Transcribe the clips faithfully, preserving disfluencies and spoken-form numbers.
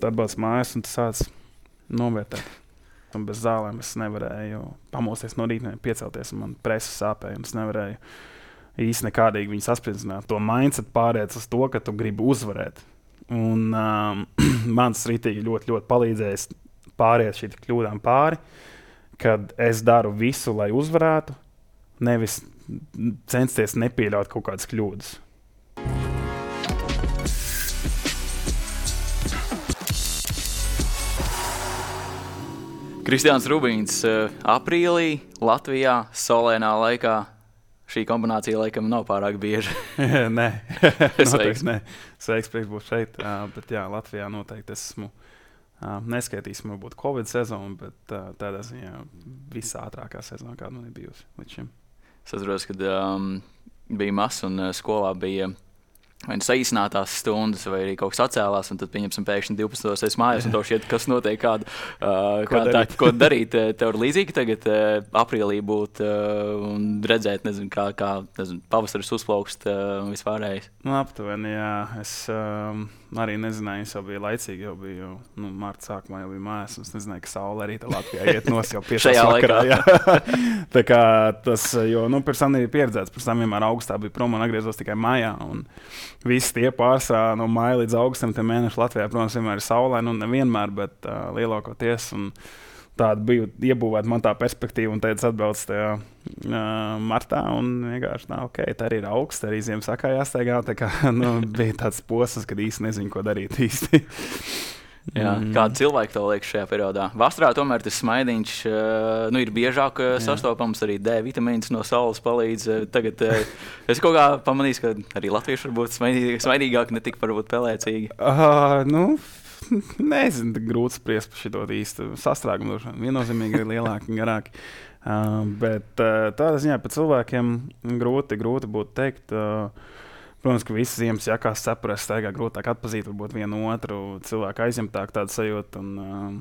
tu atbrauc mājās un tu sāc novērtēt. Un bez zālēm es nevarēju pamosties no rīta, piecelties, un man presa sāpēja, un es nevarēju īsti nekādīgi viņu saspridzināt. To mindset pāriec uz to, ka tu gribi uzvarēt. Un um, man tas rītīgi ļoti, ļoti palīdzējis pāriet šī kļūdām pāri, kad es daru visu, lai uzvarētu, nevis censties nepieļaut kaut kādas kļūdas. Kristiāns Rubīns aprīlī Latvijā solēnā laikā. Šī kombinācija laikam nav pārāk bieža. Nē, noteikti nē. Sveiks, prieks būt šeit. Uh, bet jā, Latvijā noteikti esmu uh, neskaitīsim varbūt Covid sezonu, bet uh, tādā ziņā visātrākā sezona, kāda man ir bijusi līdz šim. Es atceros, kad um, bija mazs un uh, skolā bija vai nu saīsinātās stundas, vai arī kaut kas atcēlās, un tad pieņemsim pēkšņi divpadsmitos es mājās, un to šķiet, kas notiek, kādu, uh, ko, kā darīt? Tā, ko darīt. Tev ir līdzīgi tagad uh, aprīlī būt uh, un redzēt, nezinu, kā, kā nezinu, pavasaris uzplaukst uh, un vispārējais. Nu, aptuveni, jā. Es um, arī nezināju, es jau biju laicīgi, jau biju, nu, marta sākumā jau biju mājās, un es nezināju, ka saule arī tā Latvijā iet nos jau piecās vakarā. Jā. Tā kā tas, jo, nu, pirms tam nebija pieredzēts, pirms tam vienmēr augustā bija prom un atgriezos tikai mājā, un visi tie pārsvarā no māja līdz augustam, tie mēneši Latvijā, protams, vienmēr ir saulē, nu nevienmēr, bet uh, lielākoties. Un tāda bija iebūvēta man tā perspektīva, un teica atbrauc tajā uh, martā, un vienkārši, nā, ok, tā arī ir augsts, arī ziem sakā jāsteigā, tā kā, nu, bija tāds posms, kad īsti nezinu, ko darīt īsti. Jā, mm. Kāda cilvēka tev liekas šajā periodā? Vasarā tomēr tas smaidiņš uh, nu, ir biežāk uh, sastopams, arī D vitamīns no saules palīdz. Uh, tagad uh, es kaut kā pamanīju, ka arī latvieši var būt smaidīgāki, smaidīgāk, ne tik varbūt pelēcīgi. Uh, nu, nezinu, grūti spriest par šito īstu sastrāgumu. Viennozīmīgi ir lielāki un garāki. Uh, bet uh, tādā ziņā par cilvēkiem grūti, grūti būtu teikt. Uh, Protams, ka visas ziemas jakās saprast, staigā grūtāk atpazīt, varbūt vienu otru cilvēku aizņemtāk tādu sajūtu. Un, um,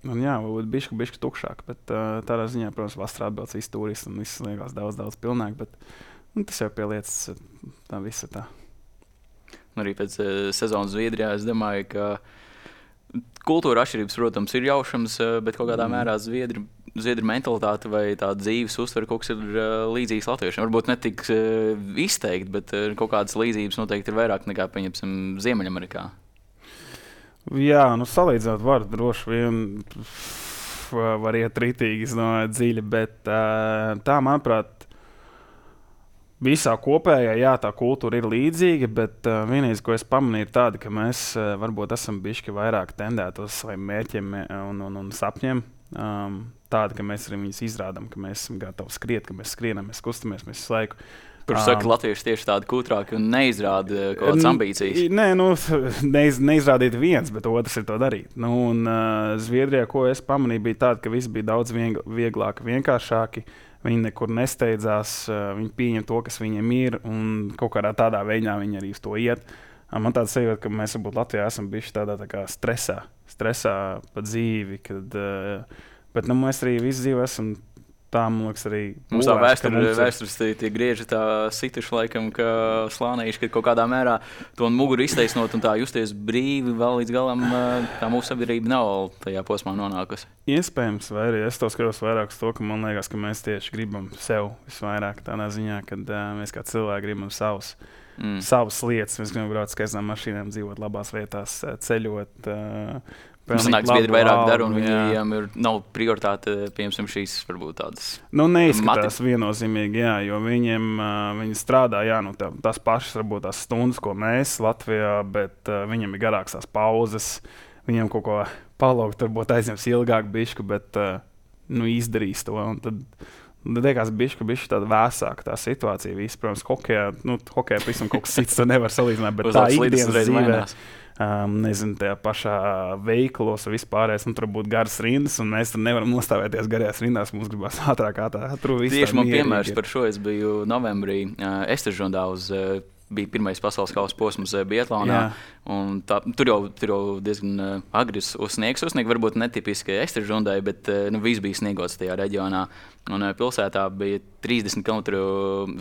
un jā, varbūt bišķi, bišķi tukšāk, bet uh, tādā ziņā, protams, vasarā atbilst visi turisti un viss liekas daudz, daudz pilnāk, bet nu, tas jau pie lietas tā visa tā. Un arī pēc uh, sezonas Zviedrijā es domāju, ka kultūra atšķirības, protams, ir jaušams, uh, bet kaut kādā mm. mērā Zviedri Zviedru mentalitāte vai tā dzīves uztvere kaut kas ir uh, līdzīgs latviešiem. Varbūt ne tik uh, izteikti, bet uh, kaut kādas līdzības noteikti ir vairāk nekā, pieņemsim, Ziemeļamerikā. Jā, nu salīdzināt var droši vien var iet ritīgi, no dziļi, bet uh, tā, manuprāt, visā kopējā, jā, tā kultūra ir līdzīga, bet uh, vienīgais, ko es pamanīju, ir tāda, ka mēs uh, varbūt esam bišķi vairāk tendēti uz saviem mērķiem un, un, un sapņiem. Um, tāda, ka mēs arī viņus izrādām, ka mēs esam gatavi skriet, ka mēs skrienam, mēs kustamies, mēs visu laiku. Kurš um, saka, latvieši tieši tādi kūtrāki un neizrāda kaut kādas ambīcijas? Nē, nu, neiz, neizrādīt viens, bet otrs ir to darīt. Nu, un uh, Zviedrijā, ko es pamanīju, bija tāda, ka viss bija daudz vieglāk, vienkāršāki. Viņi nekur nesteidzās, uh, viņi pieņem to, kas viņiem ir, un kaut kādā tādā veidā viņi arī uz to iet. Uh, man tāds sajūta, ka mēs varbūt Latvijā esam bijuši tādā tā kā stresā, stresā pa dzīvi, kad, uh, bet nu, mēs arī visu dzīvi esam tā, man liekas, arī mums tā vēstures, vēstures tie, tie grieži tā situši laikam, ka slānīši, ka kaut kādā mērā to muguru iztaisnot un tā justies brīvi vēl līdz galam, tā mūsu sabiedrība nav tajā posmā nonākusi. Iespējams, vai arī es to skatos vairāk uz to, ka man liekas, ka mēs tieši gribam sev visvairāk tādā ziņā, kad uh, mēs kā cilvēki gribam savus, mm. savas lietas, mēs gribam braukt skaistām mašīnām, dzīvot labās vietās, ceļot, uh, Mums sanāk, Zviedri vairāk dara, un viņiem ir, nav prioritāte, piemēram, šīs varbūt tādas. Nu, neizskatās viennozīmīgi, jā, jo viņiem, uh, viņi strādā, jā, nu, tā, tās pašas, varbūt tās stundas, ko mēs Latvijā, bet uh, viņiem ir garāks tās pauzes, viņiem kaut ko palaukt, varbūt aizņems ilgāk bišķu, bet, uh, nu, izdarīs to, un tad, tad liekas bišķu, bišķu tāda vēsāka tā situācija, viss, protams, hokejā, nu, hokejā, pavisam kaut kas cits, to nevar salīdzināt, bet tā ikdienas dzīvē. Um, nezinu, tajā pašā veikalos vispārējais, un tur būtu garas rindas, un mēs tur nevaram nostāvēties garajās rindās, mums gribās ātrāk ātrāk. Tieši man piemērs par šo, es biju novembrī uh, Estežondā uz uh, bija pirmais pasaules kausa posms biatlonā. Tā, tur, jau, tur jau diezgan uh, agri uzsniegs. Uzsniegt varbūt netipiski ekstra žundai, bet uh, nu, viss bija sniegots tajā reģionā. Un uh, pilsētā bija trīsdesmit kilometru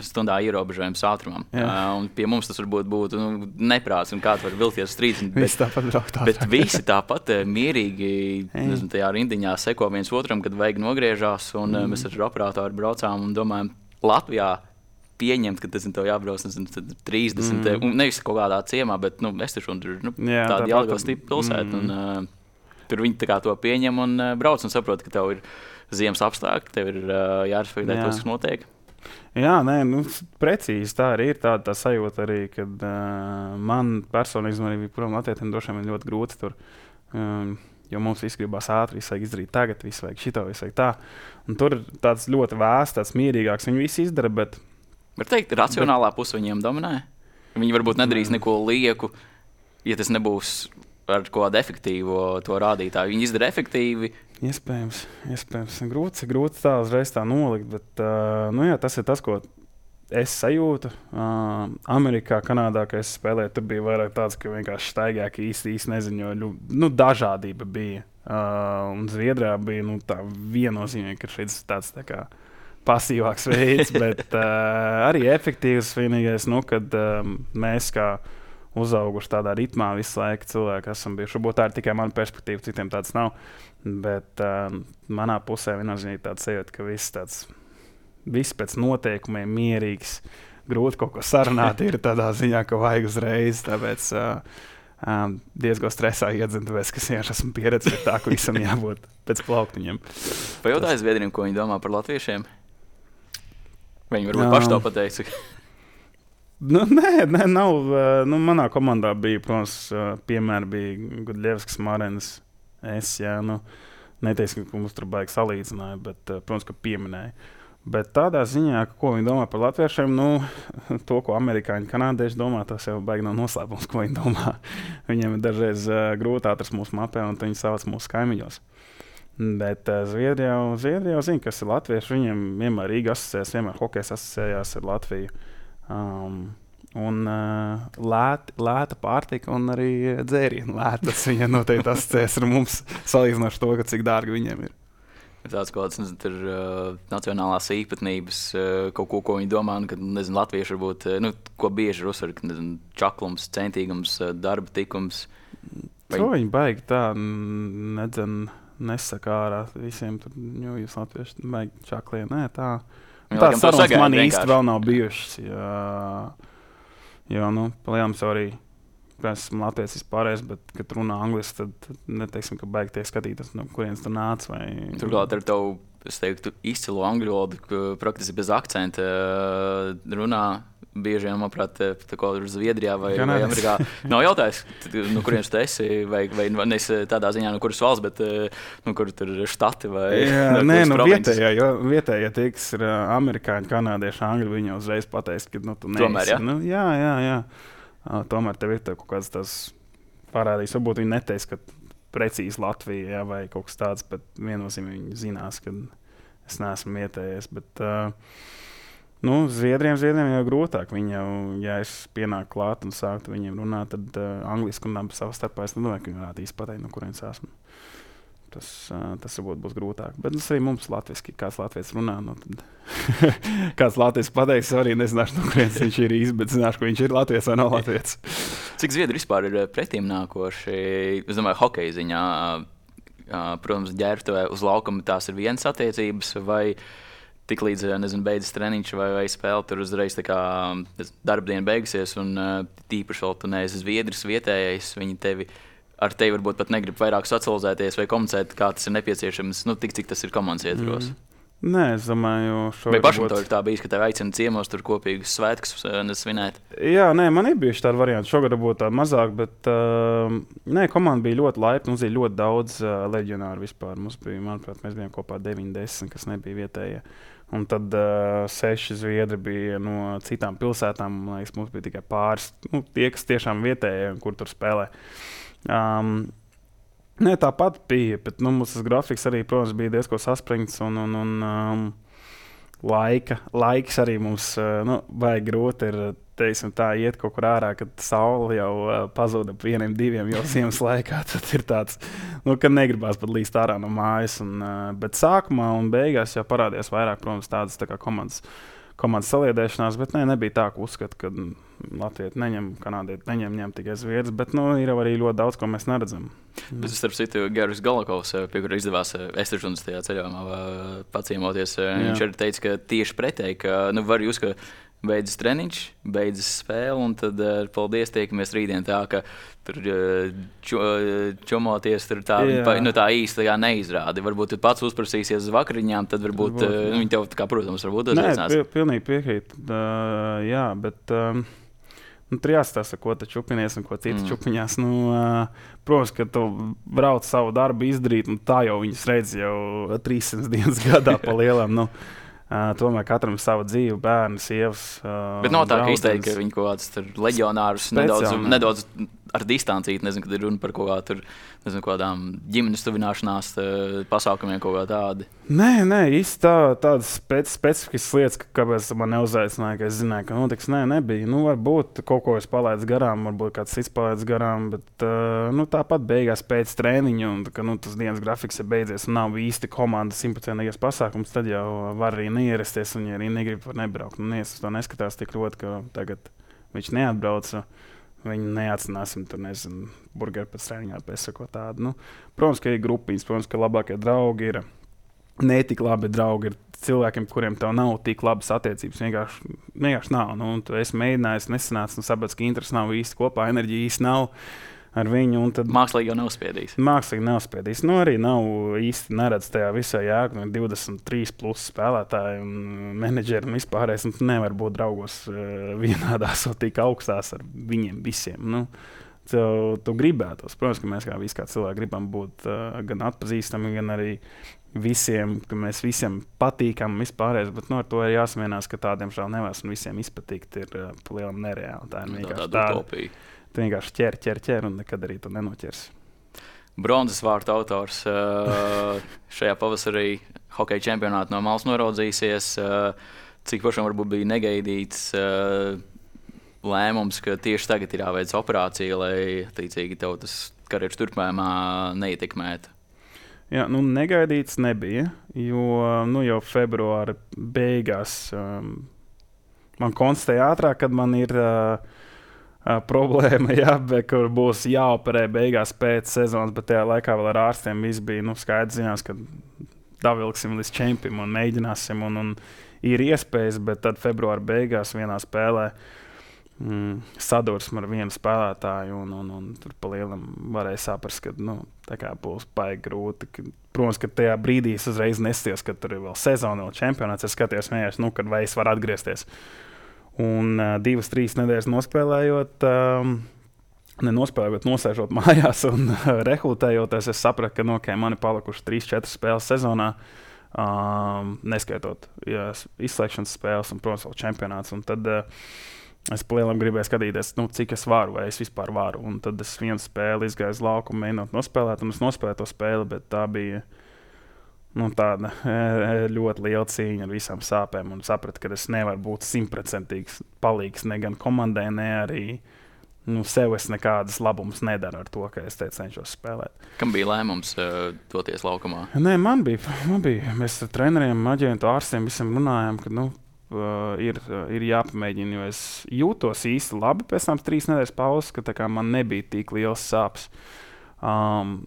stundā ierobežojums ātrumam. Uh, un pie mums tas varbūt būtu nu, neprāts, un kāds var vilties uz trīsdesmit. Visi tāpat brauktā. Bet visi tāpat uh, mierīgi nezinu, tajā rindiņā seko viens otram, kad vajag nogriežās. Un uh, mēs ar operatoru braucām un domājam, Latvijā pieņemt, ka tas tev jābrauc nezinu, trīsdesmit, mm. un nevis kaut kādā ciemā, bet nu, es taču tur nu, Jā, tāda tā Jelgavas tipa pilsēta. Mm. Un, uh, tur viņi tā kā to pieņem un uh, brauc un saprot, ka tev ir ziemas apstākļi, tev ir uh, jārespektē tos, kas notiek. Jā, nē, nu, precīzi tā arī ir tāda tā sajūta arī, kad uh, man personīgi arī bija prom latvietiem droši vien ļoti grūti tur, um, jo mums viss gribās ātri, viss vajag izdarīt tagad, viss vajag šito, viss vajag tā. Un tur ir tāds ļoti vēsts, tāds mierīgāks, viņi visi izdara, bet var teikt, racionālā puse viņiem dominē. Viņi varbūt nedarīs neko lieku, ja tas nebūs ar kādu efektīvu to rādītāju. Viņi izdara efektīvi. Iespējams, iespējams. Grūti, grūti tā uzreiz tā nolikt, bet uh, nu jā, tas ir tas, ko es sajūtu. Uh, Amerikā, Kanādā, kad es spēlēju, tur bija vairāk tāds, ka vienkārši staigāk īsti, īsti neziņoja. Nu, dažādība bija. Uh, un Zviedrijā bija nu, tā viennozīmīgi, ka šeit tāds tā kā pasīvāks veids, bet uh, arī efektīvs vienīgais, nu, kad um, mēs kā uzauguši tādā ritmā visu laiku cilvēki esam bijuši. Varbūt tā ir tikai mana perspektīva, citiem tāds nav, bet uh, manā pusē viennozīmīgi tāds sajūta, ka viss tāds, viss pēc noteikumiem mierīgs, grūti kaut ko sarunāt ir tādā ziņā, ka vajag uzreiz, tāpēc uh, um, diezgan stresā iedzinu, tāpēc, ka es esmu pieredzējis tā, ka visam jābūt pēc plauktiņiem. Pajautāju Zviedriem, ko viņi domā par latviešiem? Viņi varbūt paši to pateica. nu, nē, nē, nav. Nu, manā komandā bija, protams, piemēri bija Gudļevskis, Marenis, es, jā, nu, neteiksim, ka mums tur baigi salīdzināja, bet, protams, ka pieminēja. Bet tādā ziņā, ko viņi domā par latviešiem, nu, to, ko amerikāņi, kanādieši domā, tas jau baigi nav noslēpums, ko viņi domā. Viņiem ir dažreiz uh, grūti atrast mūsu mapē, un viņi savas mūsu kaimiņos. Bet uh, Zviedrijā, Zviedrijā zina, kas ir latvieši. Viņiem vienmēr Rīga asociējās, vienmēr hokejs asociējās ar Latviju. Um, un uh, lēt, lēta pārtika un arī dzērienu lētas. Viņiem noteikti asociējās ar mums, salīdzinoši to, ka cik dārgi viņiem ir. Tāds kaut kāds, nezinu, tur uh, nacionālās īpatnības, uh, kaut ko, ko viņi domā, un, ka, nezinu, latvieši varbūt, uh, nu, ko bieži ir uzsver, ka, nezinu, čaklums, centīgums, uh, darba tikums. Vai... To viņi baigi tā, nedzen, nesaka ārā visiem tur, jo jūs latvieši baigi čaklien, nē, tā. Tāds sarunas man īsti vēl nav bijušas, jo, jo nu, palielam jau arī, es esmu latviecis vispārējais, bet, kad runā angliski, tad, tad neteiksim, ka baigi tiek skatītas, no kurienes tu nāc. Vai... Turklāt ar tavu, es teiktu, izcilu angļu valodu, ka praktiski bez akcenta runā bieži vien, manuprāt, tā kā ir Zviedrijā vai, vai Amerikā. Nav jautājis, no kurienes tu esi, vai, vai nes tādā ziņā, no kuras valsts, bet no kur tur ir štati vai Jā, nē, nu vietējā, jo vietējā tie, kas ir amerikāņi, kanādieši, angļi, viņi uzreiz pateiks, ka nu, tu neesi. Tomēr, jā? Nu, jā, jā, jā. Uh, tomēr tev ir kaut kāds tas parādījis. Varbūt viņi neteiks, ka precīzi Latvija, jā, vai kaut kas tāds, bet viennozīmīgi viņi zinās, ka es neesmu vietējais. Bet, uh, nu, Zviedriem, Zviedriem jau grūtāk. Viņi jau, ja es pienāku klāt un sāktu viņiem runāt, tad uh, angliski runāt savā starpā, es nedomāju, ka viņi varētu īsti pateikt, no kurienes esmu. Tas, uh, tas varbūt būs grūtāk. Bet tas arī mums latviski, kāds latvietis runā, no tad kāds latvietis pateiks, arī nezināšu, no kurienes viņš ir īsti, bet zināšu, ka viņš ir latvietis vai nav latvietis. Cik Zviedri vispār ir pretīm nākoši, es domāju, hokeja ziņā, protams, ģērbtuvē uz laukuma tās ir vienas attiecības, vai tik līdz, nezinu, beidzas treniņš vai, vai spēle, tur uzreiz tā kā darba diena beigusies, un tīpaši vēl tu neesi Zviedris vietējais, viņi tevi ar tevi varbūt pat negrib vairāk socializēties vai komunicēt, kā tas ir nepieciešams, nu, tik cik tas ir komandas ietvaros. Mm. Nē, es domāju, šo vai pašam to ir tā bijis, ka tev aicina ciemos tur kopīgus svētkus svinēt? Jā, nē, man ir bijuši tādi varianti. Šogad būtu tādi mazāk, bet uh, nē, komanda bija ļoti laipna. Mums bija ļoti daudz uh, leģionāru vispār. Mums bija, manuprāt, mēs bijām kopā deviņi desmit, kas nebija vietējie. Un tad uh, seši zviedri bija no citām pilsētām. Man liekas, mums bija tikai pāris, nu, tie, kas tiešām vietējie, kur tur spēlē. Um, Nē, tāpat bija, bet nu, mums tas grafiks arī, protams, bija diezko saspringts un, un, un um, laika, laiks arī mums uh, nu, vajag grūti ir teiksim, tā iet kaut kur ārā, kad saule jau uh, pazuda ap vieniem, diviem jau ziemas laikā, tad ir tāds, nu, ka negribās pat līst ārā no mājas. Un, uh, bet sākumā un beigās jau parādījās vairāk, protams, tādas tā kā komandas, komandas saliedēšanās, bet ne, nebija tā, ka uzskata, ka Latvijas neņem, Kanādieti neņem, ņem tikai Zviedrs, bet nu, ir arī ļoti daudz, ko mēs neredzam. Bet, starp citu, Garis Galakovs, pie kura izdevās Esteržunas tajā ceļojumā paciemoties, viņš arī teica, ka tieši pretēji, ka nu, var jūs, ka beidzas treniņš, beidzas spēle, un tad paldies, tiekamies rītdien tā, ka tur čo, čomoties tur tā, pa, nu, tā īsti tā neizrādi. Varbūt tu pats uzprasīsies uz vakariņām, tad varbūt, varbūt uh, viņi tev, kā, protams, varbūt uzveicinās. Nē, pilnīgi piekrīt, uh, jā, bet um, nu, tur jāstāsta, ko tu čupinies un ko citi mm. čupiņās. Nu, uh, protams, ka tu brauc savu darbu izdarīt, un tā jau viņus redz jau trīssimts dienas gadā pa lielam. Nu, Uh, tomēr katram savu dzīvi, bērnu, sievas. Uh, Bet nav tā, ka izteikt, ka viņi kaut kādus leģionārus nedaudz, nedaudz ar distancīti, nezinu, kad ir runa par kaut kā tur, nezinu, kādām ģimenes tuvināšanās pasākumiem kaut kā tādi. Nē, nē, īsti tā, tādas spec, specifiskas lietas, ka, kāpēc man neuzaicināja, ka es zināju, ka notiks, nē, nebija. Nu, varbūt kaut ko es palaidu garām, varbūt kāds cits palaids garām, bet uh, nu, tāpat beigās pēc trēniņa, un ka nu, tas dienas grafiks ir beidzies un nav īsti komandas simtprocentīgais pasākums, tad jau var arī neierasties, un ja arī negrib var nebraukt. Un es to neskatās tik ļoti, ka tagad viņš neatbrauca. Viņi neatsināsim tur, nezinu, burgeru pēc treniņā, pēc ko tādu. Nu, protams, ka ir grupiņas, protams, ka labākie draugi ir, ne tik labi draugi ir cilvēkiem, kuriem tev nav tik labas attiecības. Vienkārši, vienkārši nav. Nu, tu esi mēģinājis, nesanācis, un saprats, ka interesi nav īsti kopā, enerģija īsti nav ar viņu. Tad, mākslīgi jau neuzspiedīs. Mākslīgi neuzspiedīs. Nu, arī nav īsti neredz tajā visā jēga. Nu, divdesmit trīs plus spēlētāji un menedžeri un vispārējais. Un tu nevar būt draugos uh, vienādās un tik augstās ar viņiem visiem. Nu, tu, tu gribētos. Protams, ka mēs kā visi kā cilvēki gribam būt uh, gan atpazīstami, gan arī visiem, ka mēs visiem patīkam vispārējais. Bet nu, ar to ir jāsamienās, ka tādiem žēl nevās un visiem izpatikt ir uh, palielam nereāli. Tā ir vienkārši tāda utopija. Tu vienkārši ķer, ķer, ķer un nekad arī tu nenoķers. Bronzas vārtu autors uh, šajā pavasarī hokeja čempionātā no malas noraudzīsies. Uh, cik pašam varbūt bija negaidīts uh, lēmums, ka tieši tagad ir jāveic operācija, lai tīcīgi tev tas karjeras turpmājumā neietekmētu? Jā, nu negaidīts nebija, jo nu, jau februāra beigās um, man konstatēja ātrāk, kad man ir uh, Uh, problēma, jā, bet kur būs jāoperē beigās pēc sezonas, bet tajā laikā vēl ar ārstiem viss bija nu, skaidrs zinās, ka davilksim līdz čempim un mēģināsim, un, un ir iespējas, bet tad februāra beigās vienā spēlē mm, sadursme ar vienu spēlētāju, un, un, un tur pa lielam varēja saprast, ka nu, tā kā būs baigi grūti. Ka, protams, ka tajā brīdī es uzreiz nesties, ka tur ir vēl sezona, vēl čempionāts, es skatījos vienkārši, nu, kad vai es varu atgriezties. Un uh, divas, trīs nedēļas nospēlējot, um, nenospēlējot, nosēžot mājās un uh, rekrutējoties, es sapratu, ka no, okay, man ir palikuši trīs, četras spēles sezonā, um, neskaitot jā, izslēgšanas spēles un, protams, vēl čempionāts. Un tad uh, es palielam gribēju skatīties, nu, cik es varu, vai es vispār varu. Un tad es vienu spēli izgāju uz laukumu, mēģinot nospēlēt, un es nospēlēju to spēli, bet tā bija nu, tāda ļoti liela cīņa ar visām sāpēm, un sapratu, ka es nevaru būt simtprocentīgs palīgs ne gan komandai, ne arī nu, sev es nekādas labumus nedaru ar to, ka es te cenšos spēlēt. Kam bija lēmums uh, doties laukumā? Nē, man bija, man bija. Mēs ar treneriem, aģentu, ārstiem visam runājām, ka nu, uh, ir, uh, ir jāpamēģina, jo es jūtos īsti labi pēc tam trīs nedēļas pauzes, ka tā kā man nebija tik liels sāpes. Um,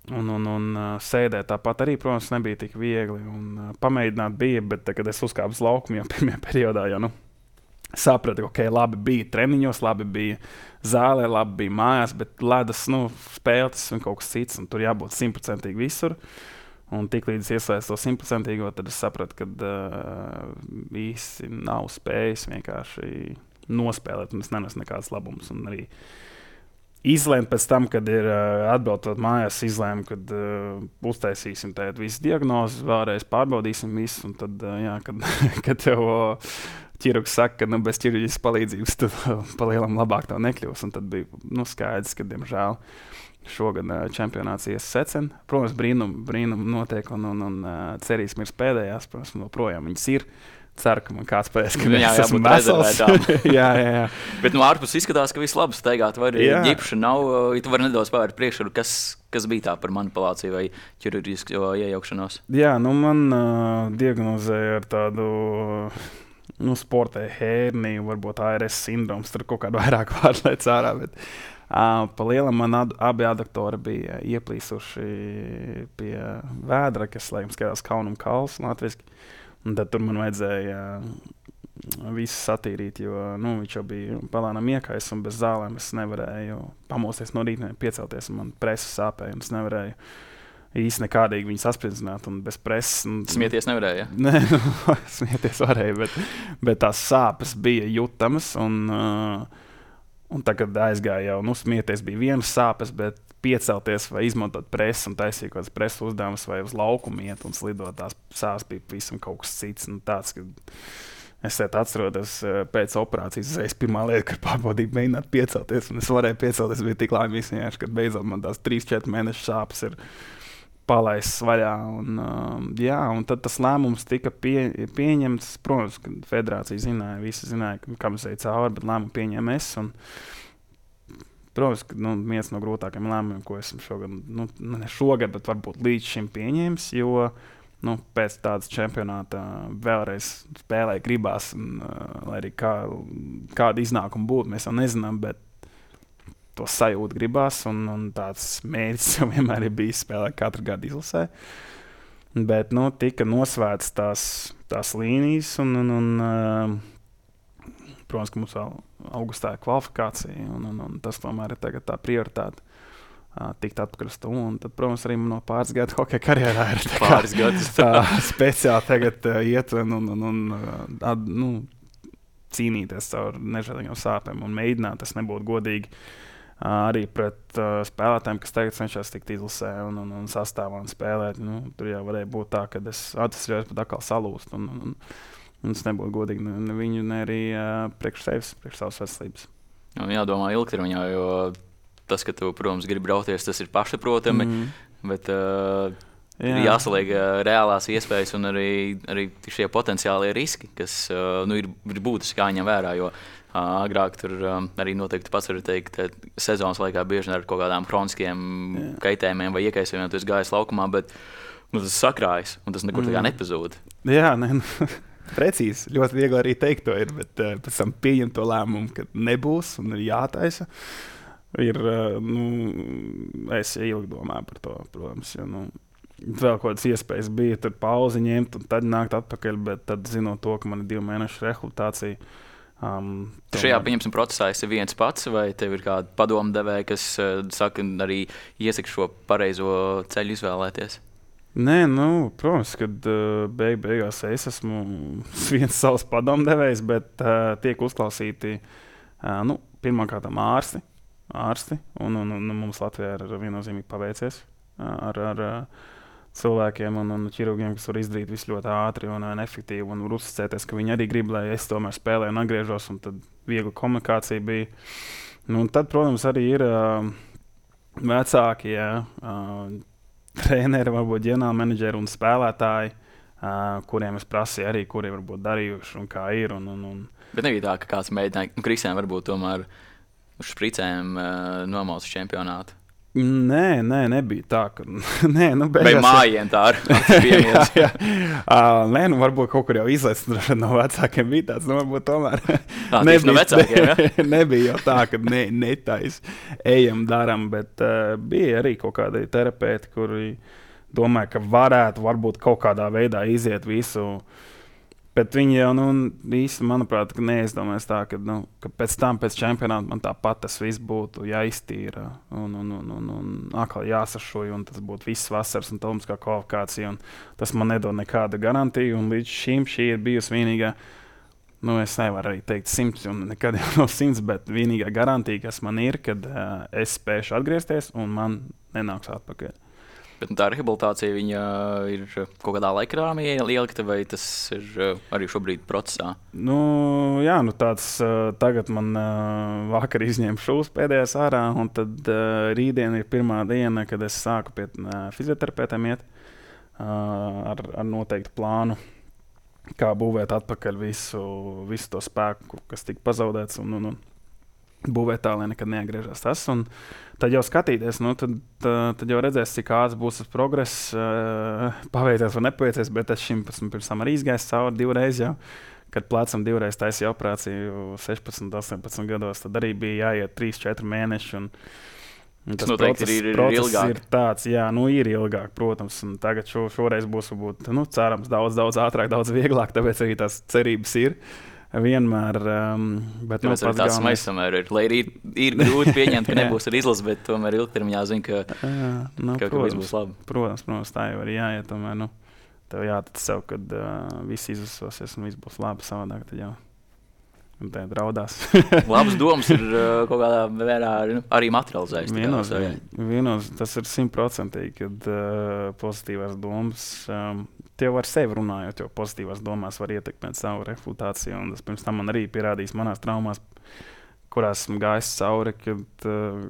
Un, un, un uh, sēdēt tāpat arī, protams, nebija tik viegli. Un, uh, pamēģināt bija, bet, tā, kad es uzkāpu uz laukumu jau pirmajā periodā, jau nu, sapratu, ka okay, labi bija treniņos, labi bija zālē, labi bija mājās, bet ledus nu, spēles un kaut kas cits, un tur jābūt simtprocentīgi visur. Un tik līdz ieslēdz to simtprocentīgo, tad es sapratu, ka uh, īsti nav spējis vienkārši nospēlēt, un es nenesu nekādas labumus. Un arī izlēmu pēc tam, kad ir uh, atbraucot mājās, izlēmu, kad uh, uztaisīsim tādu visu diagnozi, vēlreiz pārbaudīsim visu, un tad, uh, jā, kad, kad tev uh, ķirurgs saka, ka nu, bez ķirurģiskas palīdzības tad uh, palielam labāk tev nekļūs, un tad bija nu, skaidrs, ka, diemžēl, šogad uh, čempionāts ies secen. Protams, brīnum, brīnum notiek, un, un, un uh, cerīsim ir pēdējās, protams, joprojām viņas ir. ceru, ka man kāds pateiks, ka jā, es esmu vesels. jā, jā, jā. Bet no ārpus izskatās, ka viss labi staigāt. Vai arī ģipša nav, ja tu vari nedaudz pavērt priekšā, kas, kas bija tā par manipulāciju vai ķirurģisku iejaukšanos? Jā, nu man uh, diagnozēja ar tādu, nu, sportē hērniju, varbūt A R S sindroms, tur kaut kādu vairāk vārdu lēc ārā, bet uh, pa lielam man ad, abi aduktori bija ieplīsuši pie vēdra, kas, laikam, skatās Kaunum kals latviski. Un tad tur man vajadzēja visu satīrīt, jo nu, viņš jau bija palānām iekais un bez zālēm es nevarēju pamosties no rīta, piecelties un man presas sāpēja un es nevarēju īsti nekādīgi viņu saspridzināt un bez presas. Un, smieties nevarēja? Ja? Nē, nu, smieties varēja, bet, bet tās sāpes bija jutamas un, uh, un tagad aizgāja jau, nu, smieties bija vienas sāpes, bet piecelties vai izmantot presu un taisīt kaut kādas presu uzdevumus vai uz laukumu iet un slidot, tās sāpes bija visam kaut kas cits. Nu, tāds, ka es atceros pēc operācijas, es pirmā lieta, kad pārbaudīju mēģināt piecelties, un es varēju piecelties, bija tik laimīgs, kad beidzot man tās trīs četri mēnešu sāpes ir palaistas vaļā. Un, um, jā, un tad tas lēmums tika pie, pieņemts. Protams, ka federācija zināja, visi zināja, kam es eju cauri, bet lēmumu pieņem es. Un, protams, ka nu, viens no grūtākajiem lēmumiem, ko esmu šogad, nu, ne šogad, bet varbūt līdz šim pieņēmis, jo nu, pēc tādas čempionāta vēlreiz spēlē gribās, un, uh, lai arī kā, kāda iznākuma būtu, mēs jau nezinām, bet to sajūtu gribās, un, un tāds mērķis jau vienmēr ir bijis spēlēt katru gadu izlasē. Bet nu, tika nosvērts tās, tās līnijas, un, un, un uh, protams, ka mums vēl augustā ir kvalifikācija, un, un, un tas tomēr ir tagad tā prioritāte uh, tikt atpakaļ uz to. Un tad, protams, arī man no pāris gadu hokeja karjerā ir tā pāris gadus tā speciāli tagad uh, iet un, un, un, un uh, ad, nu, cīnīties caur nežēlīgām sāpēm un mēģināt, tas nebūtu godīgi uh, arī pret uh, spēlētājiem, kas tagad cenšas tikt izlasē un, un, un sastāvā un spēlēt. Nu, tur jau varēja būt tā, ka es atvesļojos pat atkal salūst. Un, un, un, Un tas nebūtu godīgi ne, ne viņu, ne arī uh, priekš sevis, priekš savas veselības. Jādomā ilgtermiņā, jo tas, ka tu, protams, gribi brauties, tas ir pašsaprotami, mm. bet uh, Jā. ir jāsaliek uh, reālās iespējas un arī, arī šie potenciālie riski, kas uh, nu, ir, ir būtiski jāņem vērā, jo uh, agrāk tur um, arī noteikti pats var teikt, sezonas laikā bieži ar kaut kādām kroniskiem Jā. kaitējumiem vai iekaisējumiem tu esi gājis laukumā, bet nu, tas sakrājas un tas nekur mm. tā kā nepazūd. Jā, ne, nu. Precīzi, ļoti viegli arī teikt to ir, bet uh, pēc tam pieņemt to lēmumu, ka nebūs un ir jātaisa. Ir, uh, nu, es ilgi domāju par to, protams, jo, nu, vēl kaut kādas iespējas bija tur pauzi ņemt un tad nākt atpakaļ, bet tad zinot to, ka man ir divu mēnešu rehabilitācija. Um, Šajā, pieņemsim, procesā esi viens pats vai tev ir kāda padomdevēja, kas uh, saka arī iesaka šo pareizo ceļu izvēlēties? Nē, nu, protams, kad uh, beig beigās es esmu viens savs padomdevējs, bet uh, tiek uzklausīti uh, nu, pirmkārt ārsti, ārsti un, un, un mums Latvijā ir viennozīmīgi paveicies uh, ar, ar uh, cilvēkiem un, un ķirurgiem, kas var izdarīt visu ļoti ātri un, un efektīvi un var uzticēties, ka viņi arī grib, lai es tomēr spēlēju un atgriežos, un tad viegla komunikācija bija. Nu, un tad, protams, arī ir uh, vecāki, jā, uh, treneri, varbūt ģenerālmenedžeri un spēlētāji, uh, kuriem es prasīju arī, kuri varbūt darījuši un kā ir. Un, un, un... Bet nebija tā, ka kāds mēģināja, nu, Kristiāna varbūt tomēr uz špricēm uh, nomauc čempionātu. Nē, nē, nebija tā, ka... nē, nu, beigās... Vai mājien tā ar jā, jā. Uh, nē, nu, varbūt kaut kur jau izlaists no vecākiem bija tāds, nu, varbūt tomēr... Tā, nebija, no vecākiem, ja? nebija jau tā, ka ne, netais ejam, daram, bet uh, bija arī kaut kādi terapeiti, kuri domāja, ka varētu varbūt kaut kādā veidā iziet visu... Bet viņi jau, nu, īsti, manuprāt, neizdomājas tā, ka, nu, ka pēc tam, pēc čempionāta man tāpat tas viss būtu jāiztīra un, un, un, un, un atkal jāsašoja, un tas būtu viss vasaras un olimpiskā kvalifikācija, un tas man nedod nekādu garantiju, un līdz šim šī ir bijusi vienīgā, nu, es nevaru arī teikt simts, un nekad jau nav simts, bet vienīgā garantija, kas man ir, kad uh, es spēšu atgriezties, un man nenāks atpakaļ. Bet nu, tā rehabilitācija viņa ir kaut kādā laikrāmī ielikta, vai tas ir arī šobrīd procesā? Nu, jā, nu tāds tagad man vakar izņēma šūs pēdējās ārā, un tad rītdien ir pirmā diena, kad es sāku pie fizioterapeitiem iet ar, ar noteiktu plānu. kā būvēt atpakaļ visu, visu to spēku, kas tika pazaudēts, un, un, un būvēt tā, lai nekad neatgriežas tas. Un tad jau skatīties, nu, tad, tad jau redzēs, cik ātrs būs tas progress, uh, paveicies vai nepaveicies, bet es šim pirms tam arī izgājis cauri divreiz jau. Kad plecam divreiz taisīja operāciju sešpadsmit, astoņpadsmit gados, tad arī bija jāiet trīs četri mēneši. Un, un tas process, ir, ir, process ir ir tāds, jā, nu ir ilgāk, protams. Un tagad šo, šoreiz būs, varbūt, nu, cerams, daudz, daudz ātrāk, daudz vieglāk, tāpēc arī tās cerības ir. Vienmēr, um, bet nu, pats galvenais. Mēs samēr ir, lai arī ir, ir grūti pieņemt, ka nebūs ar izlasi, bet tomēr ilgtermiņā zina, ka, jā, nu, ka, ka viss būs labi. Protams, protams, tā jau arī jāiet, tomēr, nu, tev jātic sev, kad uh, viss izlasosies un viss būs labi, savādāk tad jau. Un tā draudās. Labas domas ir uh, kaut kādā vērā arī materializējas. Vienos, vienos, tas ir simtprocentīgi, kad uh, pozitīvās domas, um, tie var sevi runājot, jo pozitīvās domās var ietekmēt savu reputāciju. Un tas pirms tam man arī pierādījis manās traumās, kurās esmu gājis cauri, kad uh,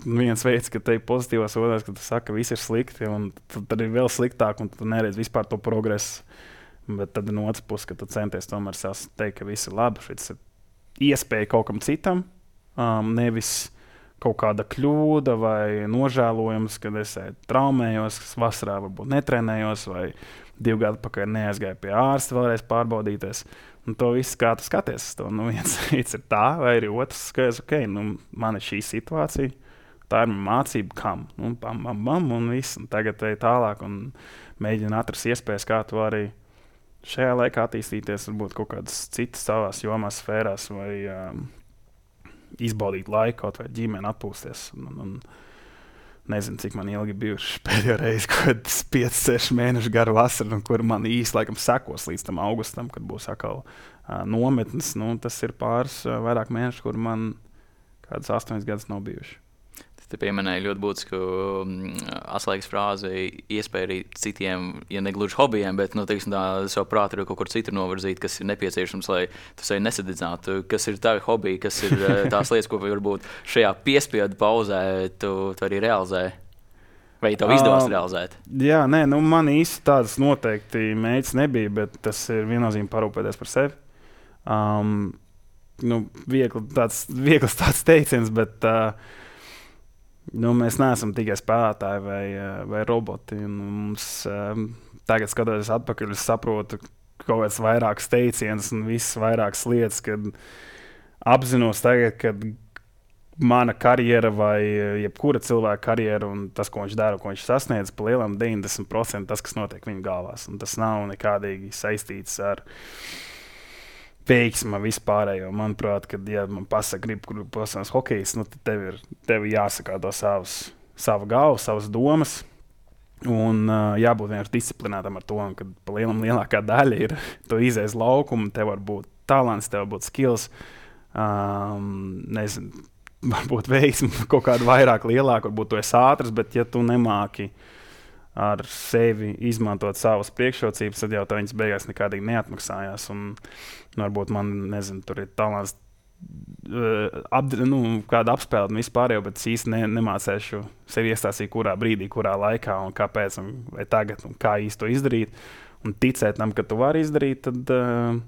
viens veids, ka te ir pozitīvās odās, kad tu saka, ka viss ir slikti, un tad ir vēl sliktāk, un tu neredz vispār to progresu. Bet tad no otras puses, ka tu centies tomēr sev teikt, ka viss ir labi, šis ir iespēja kaut kam citam, um, nevis kaut kāda kļūda vai nožēlojums, kad es traumējos, kas vasarā varbūt netrenējos, vai divu gadu pakaļ neaizgāju pie ārsta vēlreiz pārbaudīties. Un to viss, kā tu skaties, to nu, viens ir tā, vai arī otrs skaties, ok, nu, man ir šī situācija, tā ir mācība kam, nu, bam, bam, bam, un viss, un tagad ej tālāk un mēģina atrast iespējas, kā tu arī šajā laikā attīstīties, varbūt kaut kādas citas savās jomās, sfērās, vai um, izbaudīt laiku, kaut vai ģimeni atpūsties. Un, un nezinu, cik man ilgi bijuši pēdējo reizi, kad pieci seši mēneši garu vasaru, kur man īsti laikam sekos līdz tam augustam, kad būs atkal uh, nometnes. Nu, tas ir pāris uh, vairāk mēneši, kur man kādas astoņas gadus nav bijuši. Te pieminēja ļoti būtisku um, atslēgas frāzi, iespēja arī citiem, ja ne gluži hobijiem, bet nu, teiksim, tā, savu prātu kaut kur citur novirzīt, kas ir nepieciešams, lai tu sevi nesadedzinātu. Kas ir tavi hobiji, kas ir tās lietas, ko varbūt šajā piespiedu pauzē tu, tu arī realizē? Vai tev izdevās uh, realizēt? Jā, nē, nu, man īsti tādas noteikti mērķis nebija, bet tas ir viennozīmīgi parūpēties par sevi. Um, nu, viegli tāds, viegls tāds teiciens, bet... Uh, Nu, mēs neesam tikai spēlētāji vai, vai roboti. Mums, um, tagad, skatoties atpakaļ, es saprotu kaut kādas vairākas teicienas un visas vairākas lietas, kad apzinos tagad, kad mana karjera vai jebkura cilvēka karjera un tas, ko viņš dara, ko viņš sasniedz, pa lielam deviņdesmit procenti tas, kas notiek viņa galvās. Un tas nav nekādīgi saistīts ar veiksma vispārējo. Manuprāt, kad ja man pasaka, grib, kur pasaules hokejs, nu, tad tev ir, tev ir jāsakārto savas, savu galvu, savas domas. Un uh, jābūt vienkārši disciplinētam ar to, ka pa lielam lielākā daļa ir to izējas laukumu, tev var būt talants, tev var būt skills, um, nezinu, varbūt veiksmi kaut kādu vairāk lielāku, varbūt tu esi ātrs, bet ja tu nemāki ar sevi izmantot savas priekšrocības, tad jau tā viņas beigās nekādīgi neatmaksājās. Un, nu, varbūt man, nezinu, tur ir talants uh, ap, nu, kāda apspēle un vispārējo, bet es īsti ne, nemācēšu sevi iestāstīt, kurā brīdī, kurā laikā un kāpēc, un vai tagad, un kā īsti to izdarīt. Un ticēt tam, ka tu vari izdarīt, tad, uh,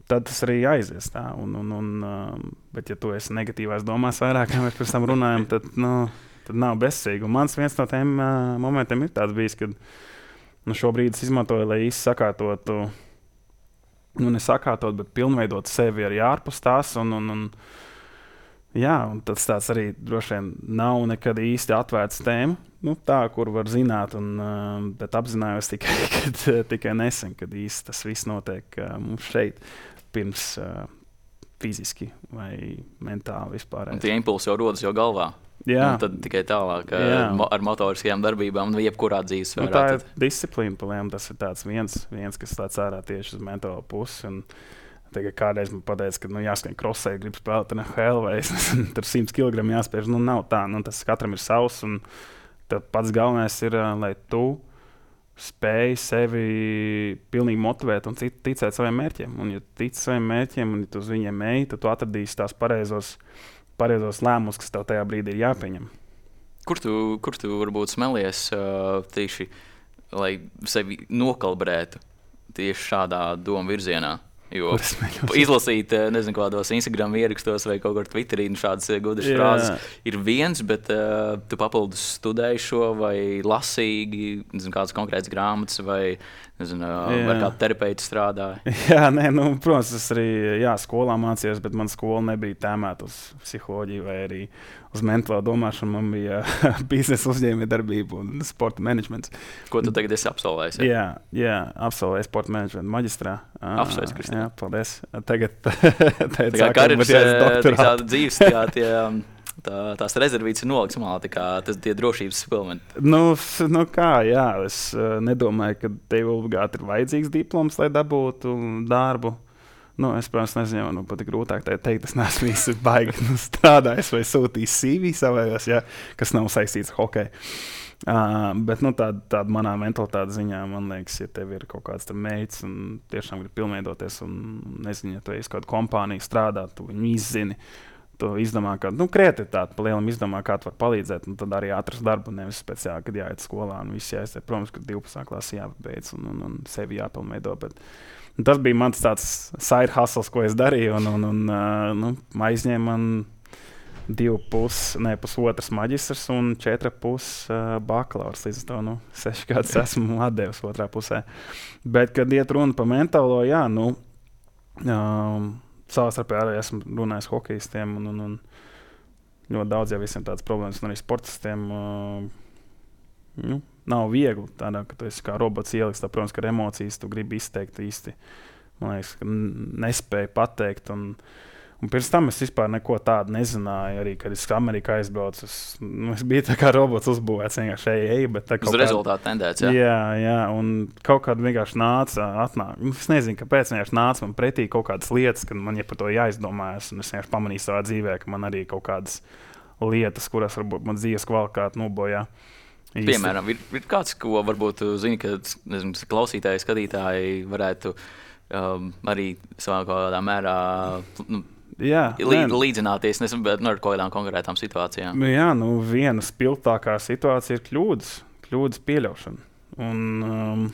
tad tas arī aizies tā. Un, un, un, uh, bet ja tu esi negatīvās domās vairāk, kā mēs pēc tam runājam, tad, nu, tad nav bezsīgi. Un mans viens no tiem uh, momentiem ir tāds bijis, kad nu, šobrīd es izmantoju, lai īsti sakārtotu, nu nesakārtot, bet pilnveidot sevi arī ārpus tās. Un, un, un, jā, un tas tāds arī droši vien nav nekad īsti atvērts tēma, nu, tā, kur var zināt, un, uh, bet apzinājos tikai, kad, tikai nesen, kad īsti tas viss notiek uh, mums šeit pirms uh, fiziski vai mentāli vispār. Un tie impulsi jau rodas jau galvā. Jā. Un tad tikai tālāk ar, ar motoriskajām darbībām, nu, jebkurā dzīves sfērā. Nu, tā ir tad... disciplīna, paliem, tas ir tāds viens, viens kas tāds ārā tieši uz mentālo pusi. Un tagad kādreiz man pateica, ka nu, jāskan krosē, grib spēlēt N H L vai tur simt kilogramu jāspēž. Nu, nav tā, nu, tas katram ir savs. Un tad pats galvenais ir, lai tu spēj sevi pilnīgi motivēt un ticēt saviem mērķiem. Un ja tic saviem mērķiem un ja tu uz viņiem ej, tad tu atradīsi tās pareizos pareizos lēmumus, kas tev tajā brīdī ir jāpieņem. Kur tu, kur tu varbūt smelies uh, tieši, lai sevi nokalibrētu? tieši šādā domu virzienā. Jo izlasīt, nezinu, kādos Instagram ierakstos vai kaut kur Twitterī šādas gudras yeah. frāzes ir viens, bet uh, tu papildus studēji šo vai lasīgi, nezinu, kādas konkrētas grāmatas vai, nezinu, yeah. ar kādu terapeitu strādāji. Jā, nē, nu, protams, es arī, jā, skolā mācījos, bet man skola nebija tēmēta uz psiholoģiju vai arī uz mentālo domāšanu. Man bija biznesa uzņēmējdarbība un sporta menedžments. Ko tu tagad esi absolvējis? Jā, jā, jā absolvēju sporta menedžmentu maģistrā. Apsveic, Kristīna. Jā, paldies. Tagad tā kā karjeras tāda dzīves, tā, tie, tā, tās rezervītes ir nolikts malā, tā kā tas tie drošības suplementi. Nu, nu kā, jā, es nedomāju, ka tev obligāti ir vajadzīgs diploms, lai dabūtu darbu. Nu, es, protams, nezinu, nu, pat grūtāk teikt, es neesmu īsti baigi nu, strādājis vai sūtījis C V savējos, ja, kas nav saistīts ar hokeju. Uh, bet nu, tāda, tāda manā mentalitāte ziņā, man liekas, ja tev ir kaut kāds mērķis un tiešām grib pilnveidoties un nezinu, ja tu esi kādu kompāniju strādāt, tu viņu izzini, tu izdomā, ka, nu, kreativitāte pa lielam izdomā, kā tu var palīdzēt, un tad arī atrast darbu, nevis speciāli, kad jāiet skolā un viss jāiziet. Protams, ka divpadsmitā klasē jāpabeidz un, un, un sevi jāpilnveido, bet tas bija mans tāds side hustles, ko es darīju, un, un, un uh, nu, aizņēma man divu pus, ne, pusotras maģistrs un četra pus uh, bakalaurs. Līdz to, nu, seši gadus esmu atdevis otrā pusē. Bet, kad iet runa par mentālo, jā, nu, um, savstarpēji arī esmu runājis hokejistiem, un, un, un ļoti daudz jau visiem tādas problēmas, un arī sportistiem, uh, nu, nav viegli tādā, ka tu esi kā robots ieliks, tā, protams, ka ar emocijas tu gribi izteikt īsti, man liekas, ka nespēju pateikt, un, un pirms tam es vispār neko tādu nezināju, arī, kad es Amerikā aizbraucu, es, nu, es biju tā kā robots uzbūvēts, vienkārši ej, ej, bet tā kaut kāda... Uz rezultātu tendēts, jā? Jā, jā, un kaut kāda vienkārši nāca, atnāk, es nezinu, kāpēc vienkārši nāca man pretī kaut kādas lietas, kad man ja par to jāizdomājas, un es vienkārši pamanīju savā dzīvē, ka man arī kaut kādas lietas, kuras varbūt man dzīves kvalitāti nobojā. Īsti. Piemēram, ir, ir kāds, ko varbūt zini, ka nezinu, klausītāji, skatītāji varētu um, arī savā kādā mērā nu, jā, lī, līdzināties, nezinu, bet nu, ar kaut kādām konkrētām situācijām. Jā, nu viena spilgtākā situācija ir kļūdas, kļūdas pieļaušana. Un um,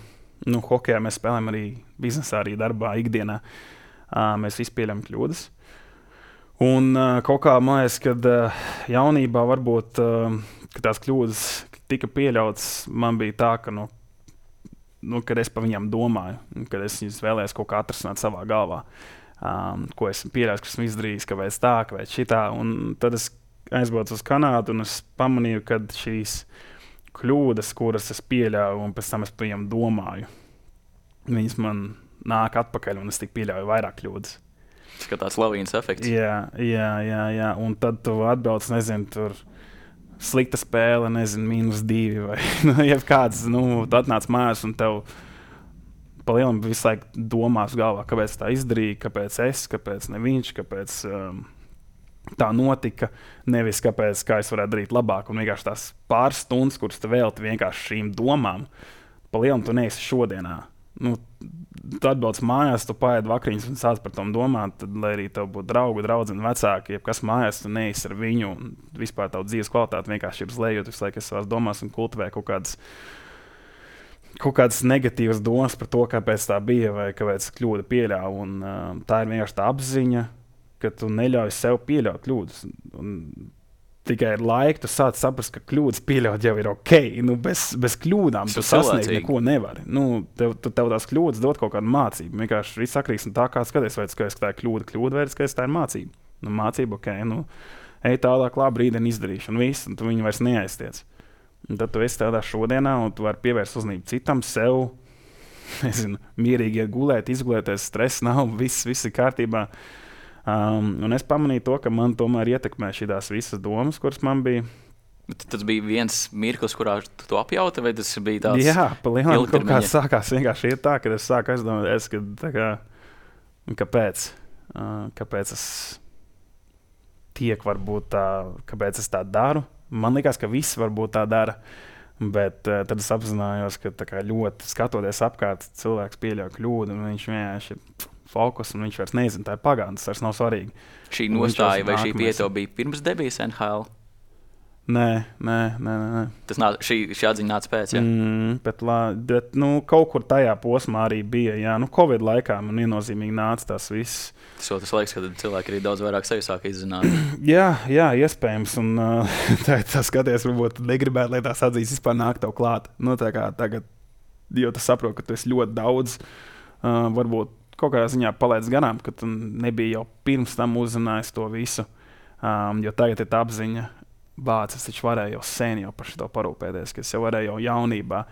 nu, hokejā mēs spēlējam arī biznesā, arī darbā, ikdienā. Uh, mēs visi pieļaujam kļūdas. Un uh, kaut kā man liekas, kad uh, jaunībā varbūt uh, ka tās kļūdas tika pieļauts, man bija tā, ka, nu, nu, kad es par viņām domāju, kad es viņus vēlējos kaut kā atrasināt savā galvā, um, ko esmu pieļaujis, kas esmu izdarījis, kāpēc tā, kāpēc šitā. Un tad es aizbraucu uz Kanādu un es pamanīju, ka šīs kļūdas, kuras es pieļauju un pēc tam es par viņām domāju, viņas man nāk atpakaļ un es tik pieļauju vairāk kļūdas. Tas kā tāds lavīnas efekts. Jā, jā, jā, jā. Un tad tu atbrauc, nezinu, tur slikta spēle, nezinu, mīnus divi vai nu, jebkāds, nu, tu atnāc mājās un tev pa lielam visu laiku domās galvā, kāpēc tā izdarīja, kāpēc es, kāpēc ne viņš, kāpēc um, tā notika, nevis kāpēc, kā es varētu darīt labāk. Un vienkārši tās pāris stundas, kuras tu velti vienkārši šīm domām, pa lielam tu neesi šodienā. Nu, tu atbrauc mājās, tu paēd vakariņas un sāc par tom domāt, tad, lai arī tev būtu draugi, draudzeni, vecāki, jebkas mājās, tu neesi ar viņu un vispār tavu dzīves kvalitāti vienkārši ir zlējot visu laiku savās domās un kultivē kaut kādas, kaut kādas negatīvas domas par to, kāpēc tā bija vai kāpēc kļūda pieļāva. Un, uh, tā ir vienkārši tā apziņa, ka tu neļauj sev pieļaut kļūdas. Un, tikai ar laiku tu sāc saprast, ka kļūdas pieļaut jau ir ok. Nu, bez, bez kļūdām tu sasniegt neko nevari. Nu, tev, tev tās kļūdas dod kaut kādu mācību. Vienkārši viss atkarīgs no tā, kā skaties, vai skaties, ka tā ir kļūda, kļūda vai skaties, tā ir mācība. Nu, mācība, ok, nu, ej tālāk, labi, rītdien izdarīšu, un viss, un tu viņu vairs neaiztiec. Un tad tu esi tādā šodienā, un tu vari pievērst uzmanību citam, sev, nezinu, mierīgi iet gulēt, izgulēties, stress nav, viss, viss ir kārtībā. Um, un es pamanīju to, ka man tomēr ietekmē šīs visas domas, kuras man bija. Bet tas bija viens mirklis, kurā tu to apjauti, vai tas bija tāds? Jā, pa lielam kaut kā sākās vienkārši iet tā, kad es sāku aizdomāties, ka tā kā, kāpēc, uh, kāpēc es tiek varbūt tā, kāpēc es tā daru. Man likās, ka visi varbūt tā dara, bet uh, tad es apzinājos, ka tā kā ļoti skatoties apkārt, cilvēks pieļauj kļūdu, un viņš vienkārši fokus, un viņš vairs nezina, tā ir pagātne, tas vairs nav svarīgi. Šī nostāja vai šī pieto bija pirms debijas N H L? Nē, nē, nē. nē. Tas nā, šī, šī atziņa nāca pēc, ja? Mm, bet, lā, bet nu, kaut kur tajā posmā arī bija, jā, nu, Covid laikā man viennozīmīgi nāca tas viss. Tas jau tas laiks, kad cilvēki arī daudz vairāk sevi sāk izzināt. jā, jā, iespējams, un uh, tā, tā skaties, varbūt negribētu, lai tās atzīst vispār nāk tev klāt. Nu, tā kā tagad, jo tu saproti, ka tu esi ļoti daudz, uh, varbūt kaut kādā ziņā palaidis garām, ka tu nebija jau pirms tam uzzinājis to visu, um, jo tagad ir tā apziņa, bāc, es taču varēju jau sen jau par šo parūpēties, ka es jau varēju jau jaunībā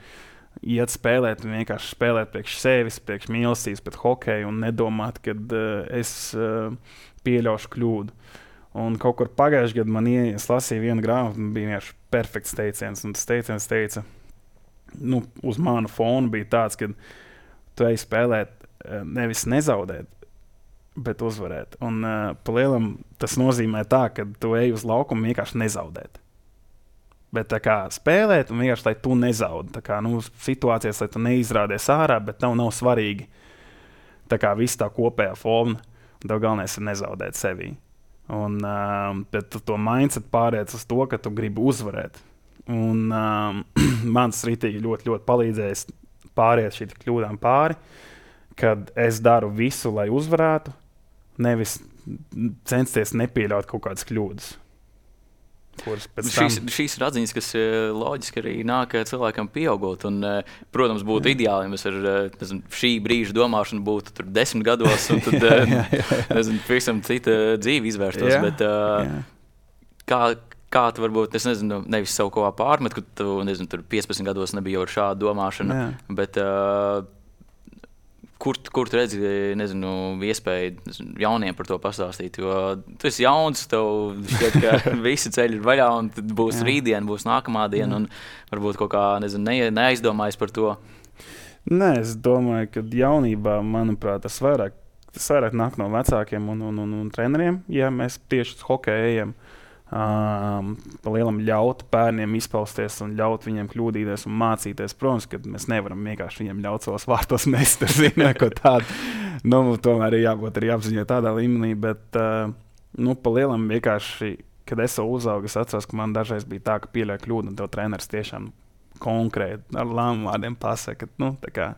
iet spēlēt un vienkārši spēlēt priekš sevis, priekš mīlestības, pret hokeju un nedomāt, kad uh, es uh, pieļaušu kļūdu. Un kaut kur pagājušajā gadā man ieies lasīja vienu grāmatu, un bija vienkārši perfekts teiciens, un tas teiciens teica, nu, uz manu fonu bija tāds, ka tu ej spēlēt uh, nevis nezaudēt, bet uzvarēt. Un uh, pa lielam tas nozīmē tā, ka tu ej uz laukumu vienkārši nezaudēt. Bet tā kā spēlēt un vienkārši, lai tu nezaudi. Tā kā, nu, situācijas, lai tu neizrādies ārā, bet tev nav svarīgi. Tā kā viss tā kopējā forma, tev galvenais ir nezaudēt sevī. Un, uh, bet tu to mindset pāriec uz to, ka tu gribi uzvarēt. Un uh, mans ritīgi ļoti, ļoti palīdzējis pāriet šī kļūdām pāri, kad es daru visu, lai uzvarētu, nevis censties nepieļaut kaut kādas kļūdas. Šīs, tam... šīs ir atziņas, kas loģiski arī nāk cilvēkam pieaugot. Un, protams, būtu jā. ideāli, ja mēs ar nezinu, šī brīža domāšanu būtu tur desmit gados, un tad jā, jā, jā. Nezinu, pavisam cita dzīve izvērstos. Jā, bet, jā. Kā, kā tu varbūt, es nezinu, nevis savu kaut kā pārmet, ka tu, nezinu, tur piecpadsmit gados nebija jau ar šādu domāšanu, jā. bet uh, Kur, kur tu redzi, nezinu, iespēju nezinu, jauniem par to pastāstīt, jo tu esi jauns, tev šķiet, ka visi ceļi ir vaļā, un tad būs rītdiena, būs nākamā diena, un varbūt kaut kā, nezinu, ne, neaizdomājas par to. Nē, es domāju, ka jaunībā, manuprāt, tas vairāk, tas vairāk nāk no vecākiem un, un, un, un treneriem, ja mēs tieši uz hokeju ejam. Um, pa lielam ļaut bērniem izpausties un ļaut viņiem kļūdīties un mācīties. Protams, ka mēs nevaram vienkārši viņiem ļaut savos vārtos mest ar zinu, ko tādu. Nu, tomēr ir jābūt arī apziņai tādā līmenī, bet uh, nu, pa lielam vienkārši, kad es jau uzaugu, es atceros, ka man dažreiz bija tā, ka pieļauj kļūdu un tev treneris tiešām konkrēti ar lēmumu vārdiem pasaka, nu, tā kā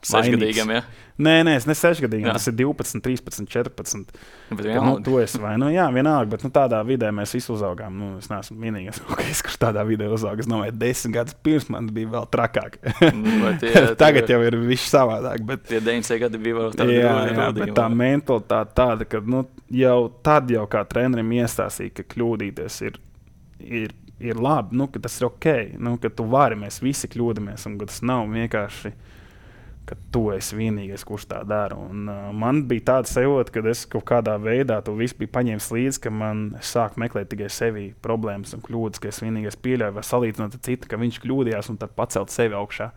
sešgadīgam, ja? Nē, nē, es ne sešgadīgam, tas ir divpadsmit, trīspadsmit, četrpadsmit. Bet ka, nu, tu esi vai, nu jā, vienalga, bet nu, tādā vidē mēs visi uzaugām. Nu, es neesmu vienīgais, okay, kurš tādā vidē uzauga. Es domāju, desmit gadus pirms man bija vēl trakāk. Tie, Tagad tie, jau ir viss savādāk. Bet, tie deviņdesmit gadi bija vēl tādi. Jā, jā, bet tā mentalitāte tāda, ka nu, jau tad jau kā trenerim iestāstīja, ka kļūdīties ir, ir, ir labi, nu, ka tas ir ok, nu, ka tu vari, mēs visi kļūdamies, un ka tas nav vienkārši ka tu esi vienīgais, kurš tā dara. Un, uh, man bija tāda sajūta, ka es kaut kādā veidā to visu biju paņēmis līdzi, ka man sāk meklēt tikai sevi problēmas un kļūdas, ka es vienīgais pieļauju vai salīdzinot ar citu, ka viņš kļūdījās un tad pacelt sevi augšā,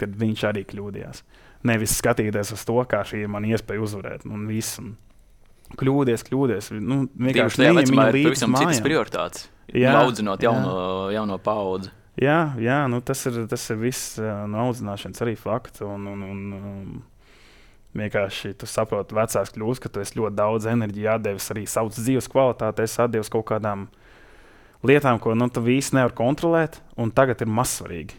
kad viņš arī kļūdījās. Nevis skatīties uz to, kā šī ir man iespēja uzvarēt. Un viss, un kļūdies, kļūdies. Nu, vienkārši neņem viņu līdzi pavisam citas prioritātes. Jā, audzinot jauno, jā. jauno paudzi. Jā, jā nu tas ir, tas ir viss no audzināšanas arī fakts. Un, un, un, um, vienkārši tu saproti vecās kļūst, ka tu esi ļoti daudz enerģiju atdevis arī savas dzīves kvalitāti, esi atdevis kaut kādām lietām, ko nu, tu visi nevar kontrolēt, un tagad ir mazsvarīgi.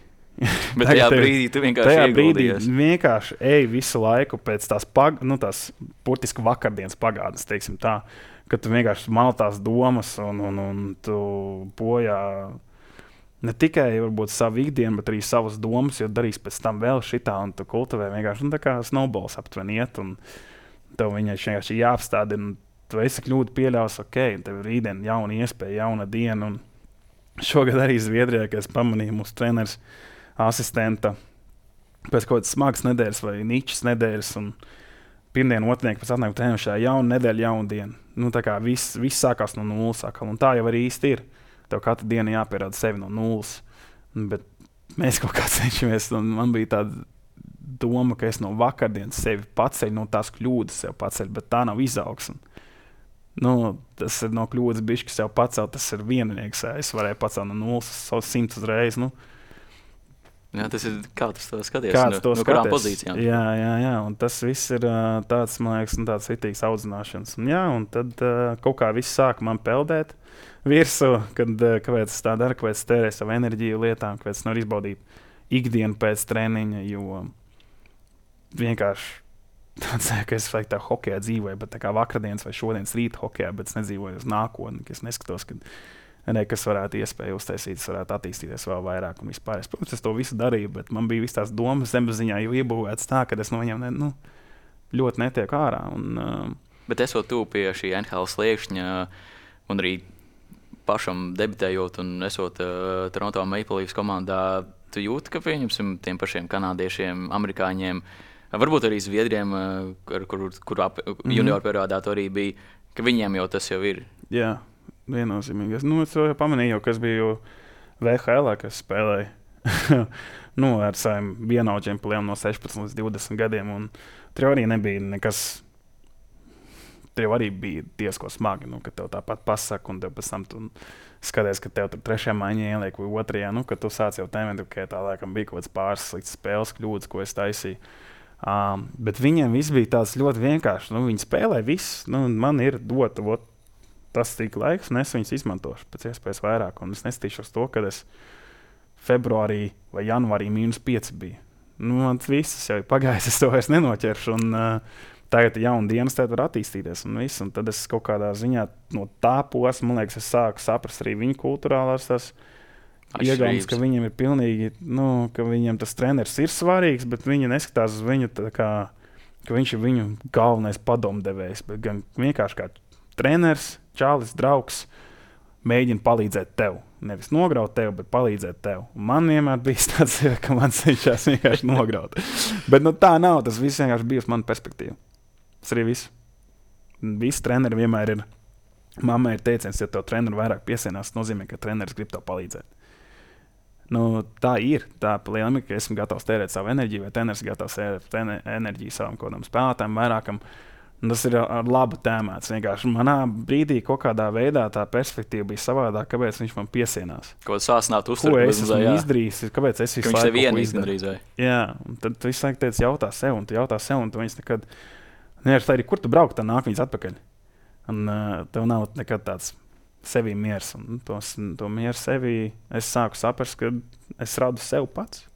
Bet tajā brīdī tu vienkārši tajā ieguldījies. Brīdī vienkārši ej visu laiku pēc tās, pag, nu, tās burtiski vakardienas pagātnes, teiksim tā, ka tu vienkārši mal tās domas un, un, un tu bojā ne tikai varbūt savu ikdienu, bet arī savas domas, jo darīs pēc tam vēl šitā, un tu kultivē vienkārši, nu, tā kā snowballs aptuveni iet, un tev viņai vienkārši jāapstādina, un tu esi kļūdu pieļaus, ok, tev ir rītdien jauna iespēja, jauna diena, un šogad arī Zviedrijā, kad es pamanīju mūsu treneris asistenta pēc kaut kādas smagas nedēļas vai ničas nedēļas, un pirmdien, otrdien, pēc atnākumu treneru šajā jauna nedēļa, jauna diena. Nu, tā kā viss, viss sākās no nulles atkal, un tā jau arī īsti ir. Tev katru dienu jāpierāda sevi no nulles. Bet mēs kaut kā cenšamies, un man bija tāda doma, ka es no vakardienas sevi paceļu, no tās kļūdas sev paceļu, bet tā nav izaugsme. Nu, tas ir no kļūdas bišķi, kas jau pacelt, tas ir vienīgs. Es varēju pacelt no nulles, savus simts uzreiz. Nu, Jā, tas ir kā tas to skaties, kāds no, to no skaties. kurām pozīcijām. Jā, jā, jā, un tas viss ir uh, tāds, man liekas, tāds ritīgs audzināšanas. Un jā, un tad uh, kaut kā viss sāk man peldēt virsū, kad, uh, kāpēc es tā daru, kāpēc es tērēju savu enerģiju lietām, kāpēc es nevaru izbaudīt ikdienu pēc treniņa, jo vienkārši tāds, ka es tā hokejā dzīvoju, bet tā kā vakardienas vai šodienas rīta hokejā, bet es nedzīvoju uz nākotni, ka es neskatos, kad ne, kas varētu iespēju uztaisīt, es varētu attīstīties vēl vairāk un vispār. Es, protams, es to visu darīju, bet man bija visas tās domas zemapziņā jau iebūvētas tā, ka es no viņiem ne, nu, ļoti netieku ārā. Un, uh... Bet esot tu pie šī N H L sliekšņa un arī pašam debitējot un esot uh, Toronto Maple Leafs komandā, tu jūti, ka pieņemsim tiem pašiem kanādiešiem, amerikāņiem, varbūt arī zviedriem, uh, kur, kur, kur ap, mm-hmm. junior periodā to arī bija, ka viņiem jau tas jau ir. Jā. Viennozīmīgi. Nu, es jau pamanīju, kas bija V H L, kas spēlēja nu, ar saviem vienaudžiem pliem no sešpadsmit līdz divdesmit gadiem. Un tur arī nebija nekas. Tur arī bija diezko smagi, nu, ka tev tāpat pasaka, un tev pēc tam tu skaties, ka tev tur trešajā maiņā ieliek vai otrajā. Nu, kad tu sāc jau tēmēt, ka tā laikam bija kaut kāds pāris slikts spēles kļūdas, ko es taisīju. Um, bet viņiem viss bija tāds ļoti vienkārši. Nu, viņi spēlē viss. Nu, man ir dota, ot, tas tik laiks, un es viņus izmantošu pēc iespējas vairāk. Un es nestīšos to, kad es februārī vai janvārī mīnus pieci bija. Nu, man viss jau ir pagājis, es to vairs nenoķeršu. Un, uh, tagad ir jauna dienas, tad var attīstīties. Un, viss, un tad es kaut kādā ziņā no tā posma, man liekas, es sāku saprast arī viņu kulturālās tās iegājas, ka viņiem ir pilnīgi, nu, ka viņiem tas treneris ir svarīgs, bet viņi neskatās uz viņu tā kā, ka viņš ir viņu galvenais padomdevējs, bet gan vienkārši kā treneris, čālis, draugs, mēģina palīdzēt tev. Nevis nograut tev, bet palīdzēt tev. Un man vienmēr bija tāds, ka man cenšas vienkārši nograut. Bet nu, tā nav, tas viss vienkārši bija uz manu perspektīvu. Tas arī viss. Visi treneri vienmēr ir, mammai ir teiciens, ja tev treneri vairāk piesienās, tas nozīmē, ka treneris grib tev palīdzēt. Nu, tā ir. Tā liela, ka esmu gatavs tērēt savu enerģiju, vai treneris gatavs tērēt enerģiju savam kodam spēlētājiem vairākam. Un tas ir ar labu tēmēts. Vienkārši manā brīdī kaut kādā veidā tā perspektīva bija savādāk, kāpēc viņš man piesienās. Ko sāsnāt uztver? Ko es esmu izdarījis, kāpēc es visu laiku izdarīju? Viņš tev vienīgs vai? Jā, un tad tu visu laiku teici jautā sev, un tu jautā sev, un tu viņas nekad, nevar tā arī, kur tu braukt, tad nāk viņas atpakaļ. Un uh, tev nav nekad tāds sevī miers, un to, to mieru sevī es sāku saprast, ka es radu sev pats,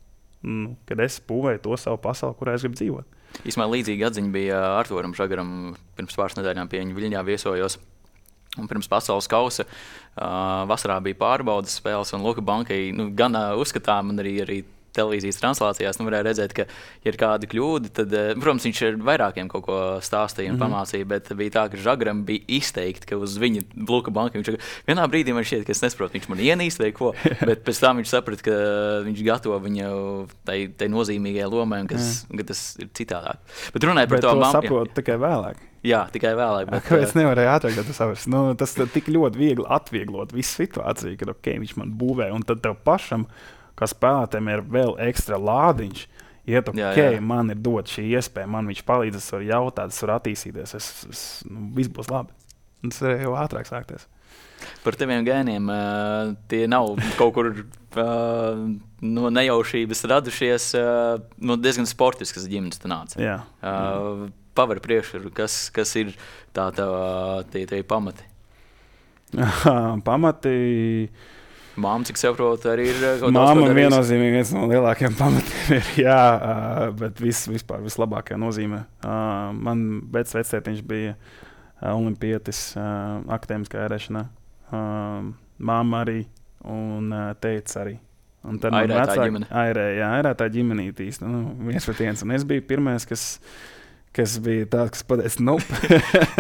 un, kad es būvēju to savu pasauli, kurā es gribu dzīvot. Īsmā līdzīga atziņa bija Arturam Žagaram pirms pāris nedēļām pie viņa Viļņā viesojos. Un pirms pasaules kausa uh, vasarā bija pārbaudas spēles, un Luka Bankai nu, gan uh, uzskatām, un arī, arī televīzijas translācijās nu, varēja redzēt, ka, ja ir kāda kļūda, tad, protams, viņš ar vairākiem kaut ko stāstīja un mm-hmm. pamācīja, bet bija tā, ka Žagaram bija izteikti, ka uz viņa Luka Banka viņš vienā brīdī man šķiet, ka es nesaprotu, viņš man ienīst vai ko, bet pēc tam viņš saprata, ka viņš gatavo viņu tai, tai nozīmīgajai lomai, un kas, ka tas ir citādāk. Bet runāja par bet to mammu. Bet to saprot tikai vēlāk. Jā, tikai vēlāk. Bet, Kāpēc nevarēja ātrāk, kad tu saprast? Nu, tas tik ļoti viegli atvieglot visu situāciju, kad ok, viņš man būvē, un tad tev pašam, kā spēlētājiem ir vēl ekstra lādiņš, iet ok, jā, jā. Man ir dot šī iespēja, man viņš palīdz, es varu jautāt, es varu attīstīties, es, es, nu, viss būs labi. Un tas ir jau ātrāk sākties. Par teviem gēniem, uh, tie nav kaut kur uh, no nejaušības radušies, uh, no diezgan sportiskas ģimenes tu nāc. Jā. Uh, pavar priekšru, kas, kas ir tā tā, tie, tie pamati? Pamati... Māma, cik saprotu, arī ir kaut kāds Māma viennozīmīgi viens no lielākajiem pamatiem ir, jā, uh, bet viss vispār vislabākajā nozīmē. Uh, man pēc vecētiņš bija uh, olimpietis uh, akadēmiskā ērēšanā. Uh, Māma arī un uh, teica arī. Un tad man vecāki airē, jā, airētā ģimenīte īsti, nu, viens pret viens. Un es biju pirmais, kas... kas bija tāds, kas pateica, nope,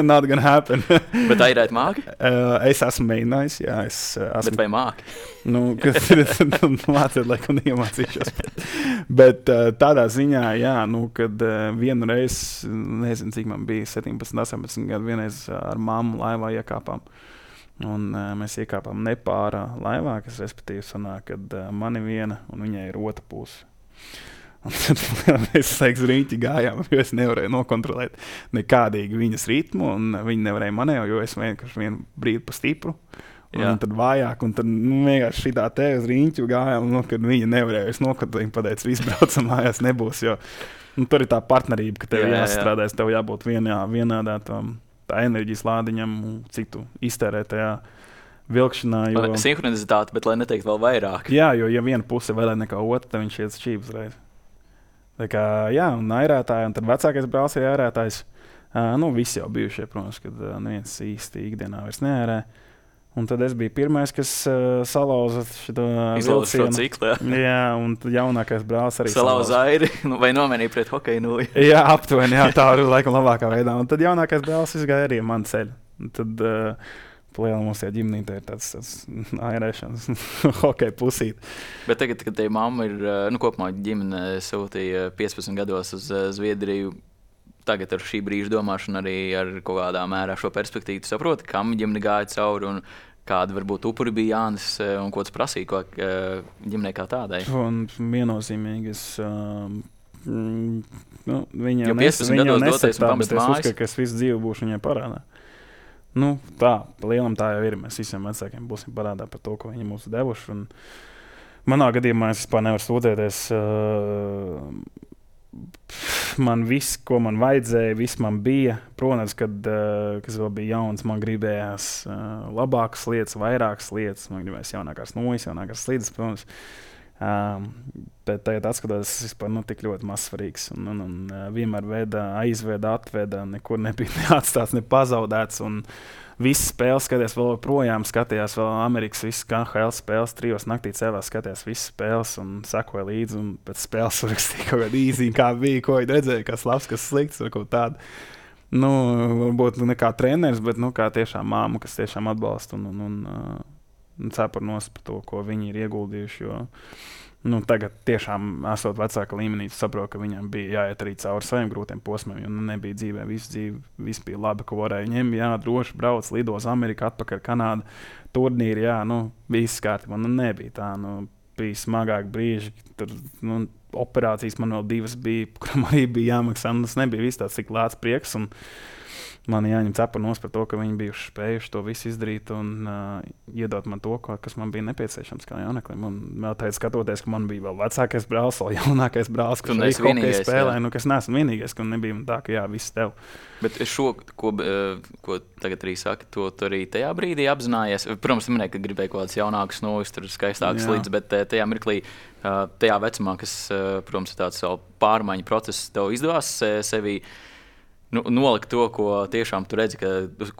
not gonna happen. Bet airēt māki? Uh, es esmu mēģinājis, jā. Es, uh, esmu, bet vai māki? Nu, kas ir, mācīt, laikam iemācīšos. Bet uh, tādā ziņā, jā, nu, kad uh, vienu reizi, nezinu, cik man bija, septiņpadsmit, astoņpadsmit gadu, vienreiz ar mammu laivā iekāpām. Un uh, mēs iekāpām nepārā laivā, kas respektīvi sanāk, kad uh, mani viena un viņai ir otra puse. Un tad mēs laiks rīņķi gājām, jo es nevarēju nokontrolēt nekādīgi viņas ritmu, un viņi nevarēja manēju, jo es vienkārši vienu brīdi pa stipru, un tad vājāk, un tad nu, vienkārši šitā te uz riņķu gājām, nu, kad viņa nevarēja nokot, viņa pateica, viss braucam mājās nebūs, jo nu, tur ir tā partnerība, ka tev jā, jāstrādājas, jā. Tev jābūt vienā, vienādā tam, tā enerģijas lādiņam, cik tu iztērē tajā vilkšanā. Jo... Sinhronizitāte, bet lai neteikt vēl vairāk. Jā, jo ja viena puse vēl nekā otra, tad viņš iet šķības reiz. Tā kā, jā, un airētāji, un tad vecākais brālis ir airētājs. Uh, nu, visi jau bijušie, protams, kad uh, neviens īsti ikdienā vairs neērē. Un tad es biju pirmais, kas uh, salauza šo vilcienu. Šo ciklu, jā. Jā, un jaunākais brālis arī salauza airi, vai nomenīja pret hokeju nūju. Jā, aptuveni, jā, tā ir laikam labākā veidā. Un tad jaunākais brālis izgāja arī man ceļu. Un tad uh, plēlam mums tie ģimnītē ir tāds, tāds airēšanas hokeja pusīt. Bet tagad, kad te mamma ir, nu, kopumā ģimene sūtīja piecpadsmit gados uz uh, Zviedriju, tagad ar šī brīža domāšanu arī ar kaut kādā mērā šo perspektīvu saproti, kam ģimene gāja cauri un kāda varbūt upuri bija Jānis un ko tas prasīja ko ģimenei kā tādai. Un viennozīmīgi es, um, nu, viņa jo piecpadsmit gados doties un pamest mājas. Es uzskatu, ka es visu dzīvi būšu viņai parādā. Nu, tā, lielam tā jau ir. Mēs visiem vecākiem būsim parādā par to, ko viņi mums devuši. Un manā gadījumā es vispār nevaru sūdzēties. Uh, Man viss, ko man vajadzēja, viss man bija. Protams, kad uh, kas vēl bija jauns, man gribējās uh, labākas lietas, vairākas lietas. Man gribējās jaunākās nojas, jaunākās slīdes, protams. Um, bet tagad atskatās, tas vispār nu, tik ļoti mazsvarīgs. Un, un, un uh, vienmēr veda, aizveda, atveda, nekur nebija neatstāts, ne pazaudēts. Un visas spēles skaties vēl projām, skatījās vēl Amerikas, visas K H L spēles, trijos naktī cēlās, skatījās visas spēles un sekoja līdzi. Un pēc spēles rakstīja kaut kādu īziņu, kā bija, ko viņi redzēja, kas labs, kas slikts, vai kaut tādu. Nu, varbūt ne kā treneris, bet nu, kā tiešām māma, kas tiešām atbalsta un, un, un, un cepar nos par to, ko viņi ir ieguldījuši. Jo, nu, tagad tiešām esot vecāka līmenī, saprotu, ka viņam bija jāiet arī cauri saviem grūtiem posmiem, jo nu, nebija dzīvē visu dzīvi, viss bija labi, ko varēja ņemt, jā, droši brauc, lido uz Ameriku, atpakaļ Kanādu, turnīri, jā, nu, viss kārtībā, nu, nebija tā, nu, bija smagāk brīži, tur, nu, operācijas man vēl divas bija, kuram arī bija jāmaksā, nu, tas nebija viss tāds tik lēts prieks, un man jāņem cepanos par to, ka viņi bijuši spējuši to visu izdarīt un uh, iedot man to, ko, kas man bija nepieciešams kā jauneklim. Un vēl teicu, skatoties, ka man bija vēl vecākais brālis, vēl jaunākais brālis, kurš arī hokeju spēlēja, nu, kas neesmu vienīgais, ka nebija tā, ka jā, viss tev. Bet šo, ko, ko tagad arī saki, to tu arī tajā brīdī apzinājies. Protams, minēja, ka gribēja kaut kāds jaunāks novis, tur skaistāks līdz, bet tajā mirklī, tajā vecumā, kas, protams, ir tāds vēl pārmaiņu process, tev izdevās sevi Nu, nolikt to, ko tiešām tu redzi, ka,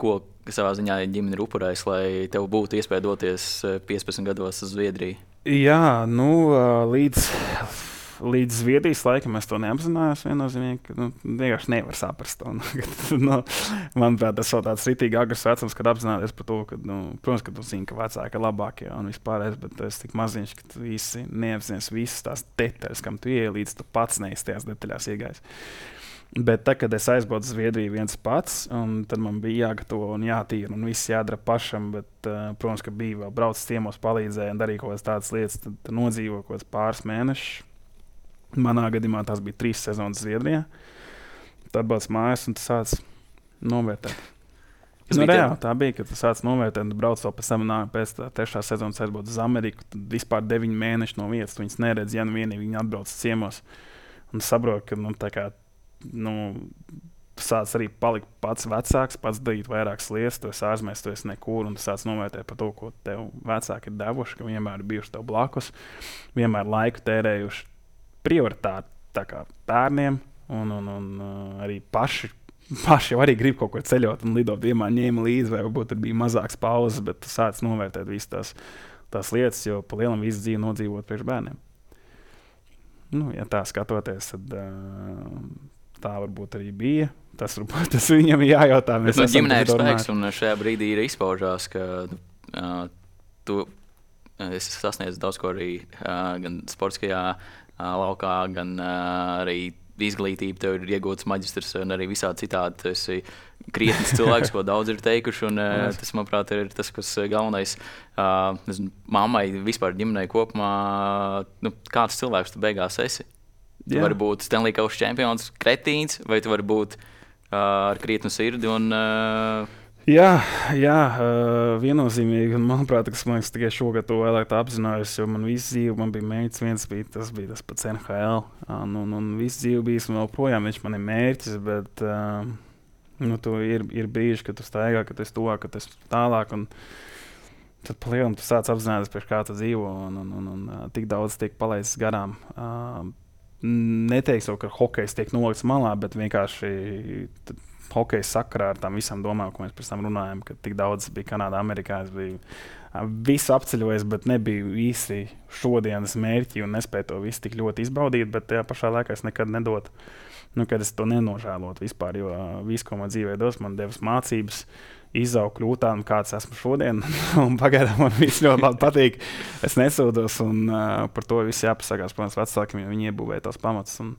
ko savā ziņā ģimene ir upurējis, lai tev būtu iespēja doties piecpadsmit gados uz Zviedriju? Jā, nu, līdz, līdz Zviedrijas laikam es to neapzinājos viennozīmīgi. Nu, vienkārši nevar saprast to. Nu, manuprāt, tas vēl tāds ritīgi agrs vecums, kad apzināties par to, ka, nu, protams, ka tu zini, ka vecāki ir labākie un vispārējais, bet tu esi tik maziņš, ka tu īsti neapzinies visas tās detaļas, kam tu ieej līdz tu pats neesi tajās detaļās iegājis. Bet tad, kad es aizbraucu uz Zviedriju viens pats, un tad man bija jāgatavo un jātīra un viss jādara pašam, bet, uh, protams, ka bija vēl braucis ciemos, palīdzēja un darīja kaut kādas tādas lietas, tad, tad nodzīvoja kaut kāds pāris mēnešus. Manā gadījumā tās bija trīs sezonas Zviedrijā. Tad atbrauc mājās un tu sāc novērtēt. Nu, reāli tā bija, ka tu sāc novērtēt un brauc vēl pēc tam nāk pēc tā trešā sezonas aizbrauc uz Ameriku, tad vispār deviņi mēneši no vietas, tu viņas neredz, ja nu vienīgi viņi atbrauc ciemos. Un saprot, ka, nu, tā kā Nu, tu sāc arī palikt pats vecāks, pats darīt vairākas lietas, tu esi ārzemēs, tu esi nekur, un tu sāc novērtēt par to, ko tev vecāki ir devuši, ka vienmēr ir bijuši tev blakus, vienmēr laiku tērējuši prioritāti tā kā bērniem, un, un, un uh, arī paši, paši jau arī grib kaut ko ceļot un lidot, vienmēr ņēma līdzi, vai varbūt tur bija mazāks pauzes, bet tu sāc novērtēt visas tās, tās lietas, jo pa lielam visu dzīvi nodzīvot priekš bērniem. Nu, ja tā skatoties, tad uh, tā varbūt arī bija. Tas, varbūt, tas viņam ir jājautā. Bet no ģimenē ir spēks, un šajā brīdī ir izpaužās, ka uh, tu esi sasniedzis daudz ko arī uh, gan sportiskajā uh, laukā, gan uh, arī izglītība, tev ir iegūts maģistrs un arī visādi citādi. Tu esi krietnis cilvēks, ko daudz ir teikuši, un uh, tas, manuprāt, ir tas, kas galvenais uh, nezinu, mammai, vispār ģimenei kopumā, nu, kāds cilvēks tu beigās esi. Tu vari būt Stanley Kausa čempions, kretīns, vai tu vari būt uh, ar krietnu sirdi un uh, Jā, jā uh, viennozīmīgi. Manuprāt, tas man tikai šogad to vēlāk apzinājos, jo man visu dzīvi man bija mērķis. Viens bija tas, bija tas pats N H L. Un, un, un visu dzīvi bijis un vēl projām viņš man ir mērķis, bet uh, nu, ir, ir brīži, kad tu staigā, kad tu esi tuvāk, kad tu esi tālāk. Un tad palielam tu sāc apzināties, pēc kā tu dzīvo un, un, un, un uh, tik daudz tiek palaists garām. Uh, neteikšu, ka hokejs tiek nolikts malā, bet vienkārši Tad, hokeja sakarā ar tām visām domām, ko mēs pēc tam runājam, ka tik daudz bija Kanādā, Amerikā. Es biju visu apceļojis, bet nebija īsti šodienas mērķi un nespēju to visu tik ļoti izbaudīt, bet tajā pašā laikā es nekad nedotu, nu, kad es to nenožēlotu vispār, jo viss, ko man dzīvē dos, man devis mācības, izaugt, kļūt tādam, kāds esmu šodien, un pagaidām man viss ļoti labi patīk. Es nesūdos, un uh, par to viss jāpasakās, protams, vecākiem, jo viņi iebūvēja tos pamatus. Un,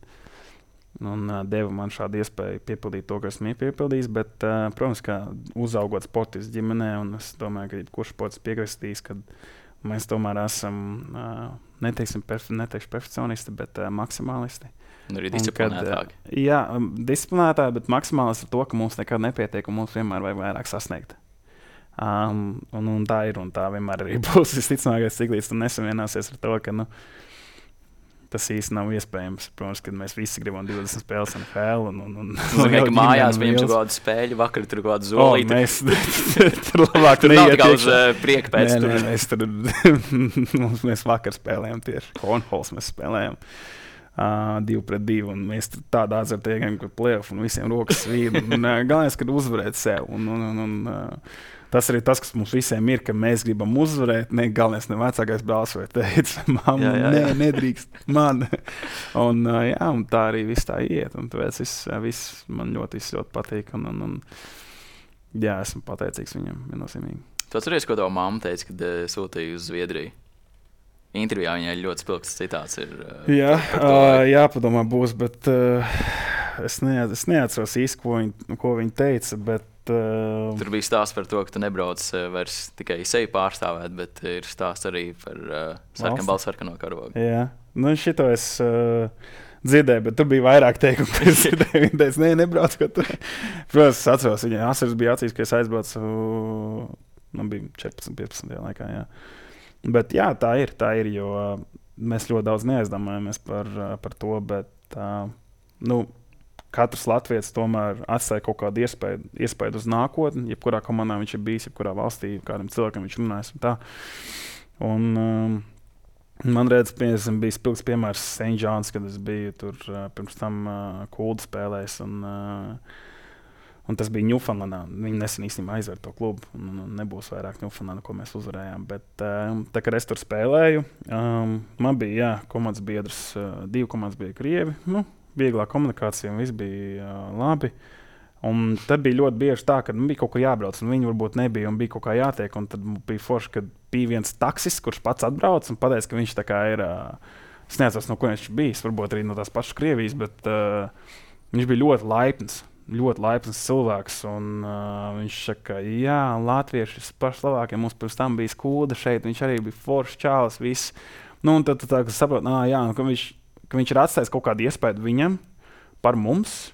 Un uh, deva man šādu iespēju piepildīt to, kas man ir piepildījis. Bet, uh, protams, kā uzaugot sportistu ģimenē, un es domāju, ka jebkurš sports piekristīs, ka mēs tomēr esam, uh, neteiksim, perf neteikšu perfekcionisti, bet uh, maksimālisti. Un arī disciplinētāki. Uh, jā, um, disciplinētāki, bet maksimālisti ar to, ka mums nekad nepietiek un mums vienmēr vajag vairāk sasniegt. Um, un, un tā ir, un tā vienmēr arī būs. Visticamākais, cik līdz tu nesavienāsies ar to, ka, nu, tas īsti nav iespējams. Protams, kad mēs visi gribam divdesmit spēles N H L. Un, un, un, un, un, un mājās viņam tur kādu spēļu, vakar tur kādu zolīti. O, mēs tur labāk tur nav tikai uz uh, prieka pēc. Nē, nē, mēs tur, mēs vakar spēlējām tieši. Cornholes mēs spēlējām. Uh, divu pret divu, un mēs tādā azartiegam, ka play-off un visiem rokas svīd. Un uh, galvenais, kad uzvarēt sev. Un, un, un, un, uh, tas arī tas, kas mums visiem ir, ka mēs gribam uzvarēt. Ne galvenais, ne vecākais brālis vai teica, mamma, nē, nedrīkst man. un, uh, jā, un tā arī viss tā iet. Un tāpēc viss, viss man ļoti, viss ļoti patīk. Un, un, un, jā, esmu pateicīgs viņam, viennozīmīgi. Tu atceries, ko tava mamma teica, kad uh, sūtīja uz Zviedriju? Intervijā viņai ļoti spilgts citāts ir. Uh, jā, uh, jāpadomā būs, bet uh, es, ne, es neatceros īsti, ko viņa, ko viņa teica, bet uh, tur bija stāsts par to, ka tu nebrauc uh, vairs tikai sevi pārstāvēt, bet ir stāsts arī par uh, sarkanbaltu sarkano karogu. Jā, nu šito es uh, dzirdēju, bet tur bija vairāk teikumu, ko es dzirdēju. Viņa teica, nē, nebrauc, ko tu. Protams, es atceros, viņai asaras bija acīs, ka es aizbraucu, nu bija četrpadsmit, piecpadsmit laikā, jā. Bet jā, tā ir, tā ir, jo mēs ļoti daudz neaizdomājamies par, par to, bet uh, nu, katrs latvietis tomēr atstāja kaut kādu iespēju, iespēju uz nākotni, jebkurā komandā viņš ir bijis, jebkurā valstī, kādam cilvēkam viņš runājas un tā. Un um, man redz, piemēram, bija spilgts piemērs Saint John's, kad es biju tur uh, pirms tam uh, Kuldu spēlēs un uh, Un tas bija Ņūfaunlandā. Viņi nesen īstenībā aizver to klubu. Un, un nebūs vairāk Ņūfaunlandā, ko mēs uzvarējām. Bet um, tā, kad es tur spēlēju, um, man bija jā, komandas biedrs. Uh, divi komandas bija krievi. Nu, vieglā komunikācija un viss bija uh, labi. Un tad bija ļoti bieži tā, ka nu, bija kaut kur jābrauc. Un viņi varbūt nebija un bija kaut kā jātiek. Un tad bija forši, kad bija viens taksis, kurš pats atbrauc un pateica, ka viņš tā kā ir... Uh, es neatceros, no ko viņš bijis. Varbūt arī no tās pašas Krievijas, bet uh, viņš bija ļoti laipns. ļoti laipns cilvēks, un uh, viņš saka, jā, latvieši ir paši labākie, mums pirms tam bija Skūda šeit, viņš arī bija foršs čālis, viss. Nu, un tad tu tā, ka saprot, nā, jā, ka viņš, ka viņš ir atstājis kaut kādu iespēju viņam par mums,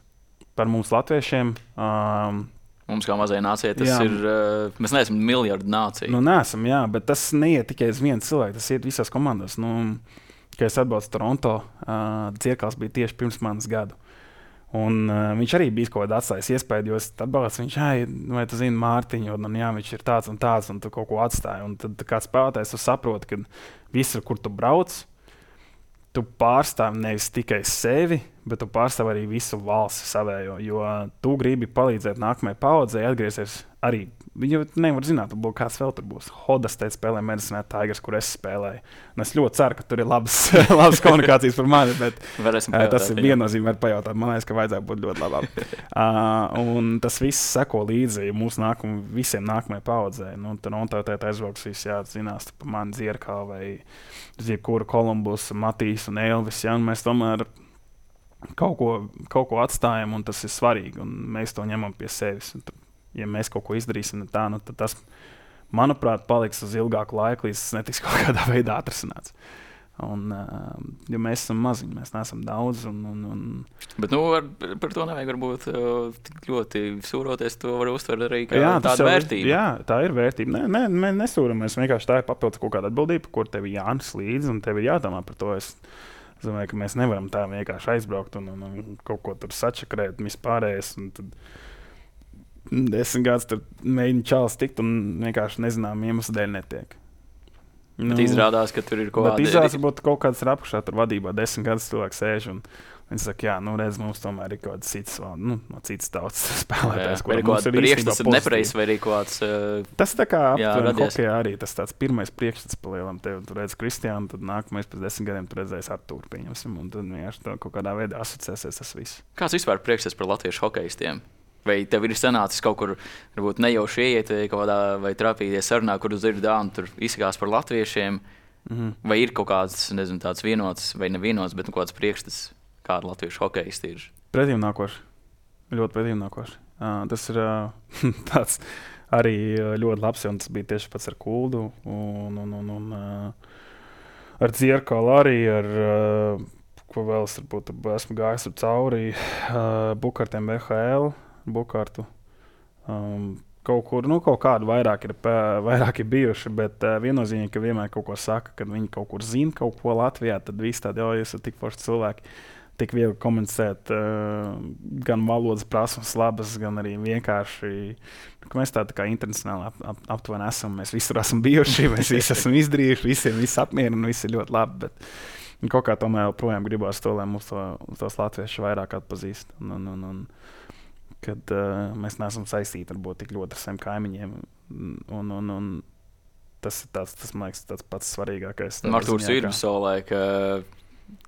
par mums latviešiem. Um, Mums kā mazai nācijai tas jā. ir, uh, mēs neesam miljardu nācija. Nu, neesam, jā, bet tas neiet tikai uz vienu cilvēku, tas iet visās komandās. Nu, kad es atbraucu Toronto, uh, Dzirkals bija tieši pirms manas gadu. Un, uh, viņš arī bija kaut kādā atstājis iespēju, jo es atbalstu viņš, vai tu zini Mārtiņu, un jā, viņš ir tāds un tāds, un tu kaut ko atstāji. Un tad kāds spēlētājs, tu saproti, ka visur, kur tu brauc, tu pārstāvi nevis tikai sevi, bet tu pārstāvi arī visu valsti savējo, jo tu gribi palīdzēt nākamajai paudzei atgriezties arī. Viņu nevar zināt, varbūt kāds vēl tur būs. Hodas teica spēlē Medicine Tigers, kur es spēlēju. Un es ļoti ceru, ka tur ir labas, labas komunikācijas par mani, bet uh, tas ir viennozīmīgi var pajautāt. Man liekas, ka vajadzētu būt ļoti labāk. uh, un tas viss seko līdzi mūsu nākam, visiem nākamajai paudzei. Nu, tad un tā tēt aizbrauks visi, jā, zinās, par mani Dzierkā vai Ziekura Kolumbus, Matīs un Elvis. Jā, un mēs tomēr kaut ko, kaut ko atstājam, un tas ir svarīgi, un mēs to ņemam pie sevis. Un, ja mēs kaut ko izdarīsim tā, nu, tad tas, manuprāt, paliks uz ilgāku laiku, līdz tas netiks kaut kādā veidā atrasināts. Un, jo mēs esam maziņi, mēs neesam daudz. Un, un, un... Bet nu, ar, par to nevajag varbūt tik ļoti sūroties. To var uztvert arī kā jā, tādu vērtību. Jā, tā ir vērtība. Nē, nē, mēs nesūramies. Vienkārši tā ir papildus kaut kāda atbildība, kur tev ir jānes līdzi un tev ir jādomā par to. Es, es domāju, ka mēs nevaram tā vienkārši aizbraukt un, un, un kaut ko tur sačakrēt un vispārējais. Un tad desmit gadus tur mēģina čalis tikt un vienkārši nezinām iemeslu dēļ netiek. Nu, bet izrādās, ka tur ir kaut kāda... Izrādās, ka būtu kaut kāds ir apakšā tur vadībā. Desmit gadus cilvēks sēž un viņi saka, jā, nu redz, mums tomēr ir kaut kāds cits, nu, no citas tautas spēlētājs. Vai ir kaut kāds priekšstats ir nepareizs, vai arī kaut kāds... Uh, tas tā kā aptuveni hokejā arī tas tāds pirmais priekšstats palielam. Tev tu redz Kristiānu, tad nākamais pēc desmit gadiem tu redzēs Artūru, pieņemsim, un tad vienkārši kaut kādā veidā asociēsies tas viss. Kāds vispār priekšstats par latviešu hokejistiem? Vai tev ir sanācis kaut kur, varbūt nejauši ieiet kaut kādā vai trapīties sarunā, kur uz dzird dānu, tur izsakās par latviešiem, mm-hmm. vai ir kaut kāds, nezinu, tāds vienots vai nevienots, bet nu kaut kāds priekšstats, kāda latviešu hokejisti ir? Pretīmnākoši, ļoti pretīmnākoši. Uh, tas ir uh, tāds arī ļoti labs, un tas bija tieši pats ar Kuldu un, un, un, un uh, ar Dzierkalu arī, ar... Uh, ko vēl es varbūt esmu gājis ar cauri, uh, Bukartiem B H L. Bukārtu. Um, kaut kur, nu, kaut kādu vairāk ir, vairāk ir bijuši, bet uh, viennozīmīgi, ka vienmēr kaut ko saka, kad viņi kaut kur zina kaut ko Latvijā, tad viss tādi, jo jūs esat tik forši cilvēki, tik viegli komunicēt, uh, gan valodas prasmes labas, gan arī vienkārši, ka mēs tādi tā kā internacionāli ap, ap, aptuveni esam, mēs visur esam bijuši, mēs visi esam izdarījuši, visiem viss apmierina, viss ir ļoti labi, bet kaut kā tomēr projām gribās to, lai mums to, tos latvieši vairāk atpazīst. Un, un, un, un, kad uh, mēs neesam saistīti varbūt tik ļoti ar saviem kaimiņiem. Un, un, un tas ir tāds, tas, man liekas, tāds pats svarīgākais. Artūrs ir savulaik, ka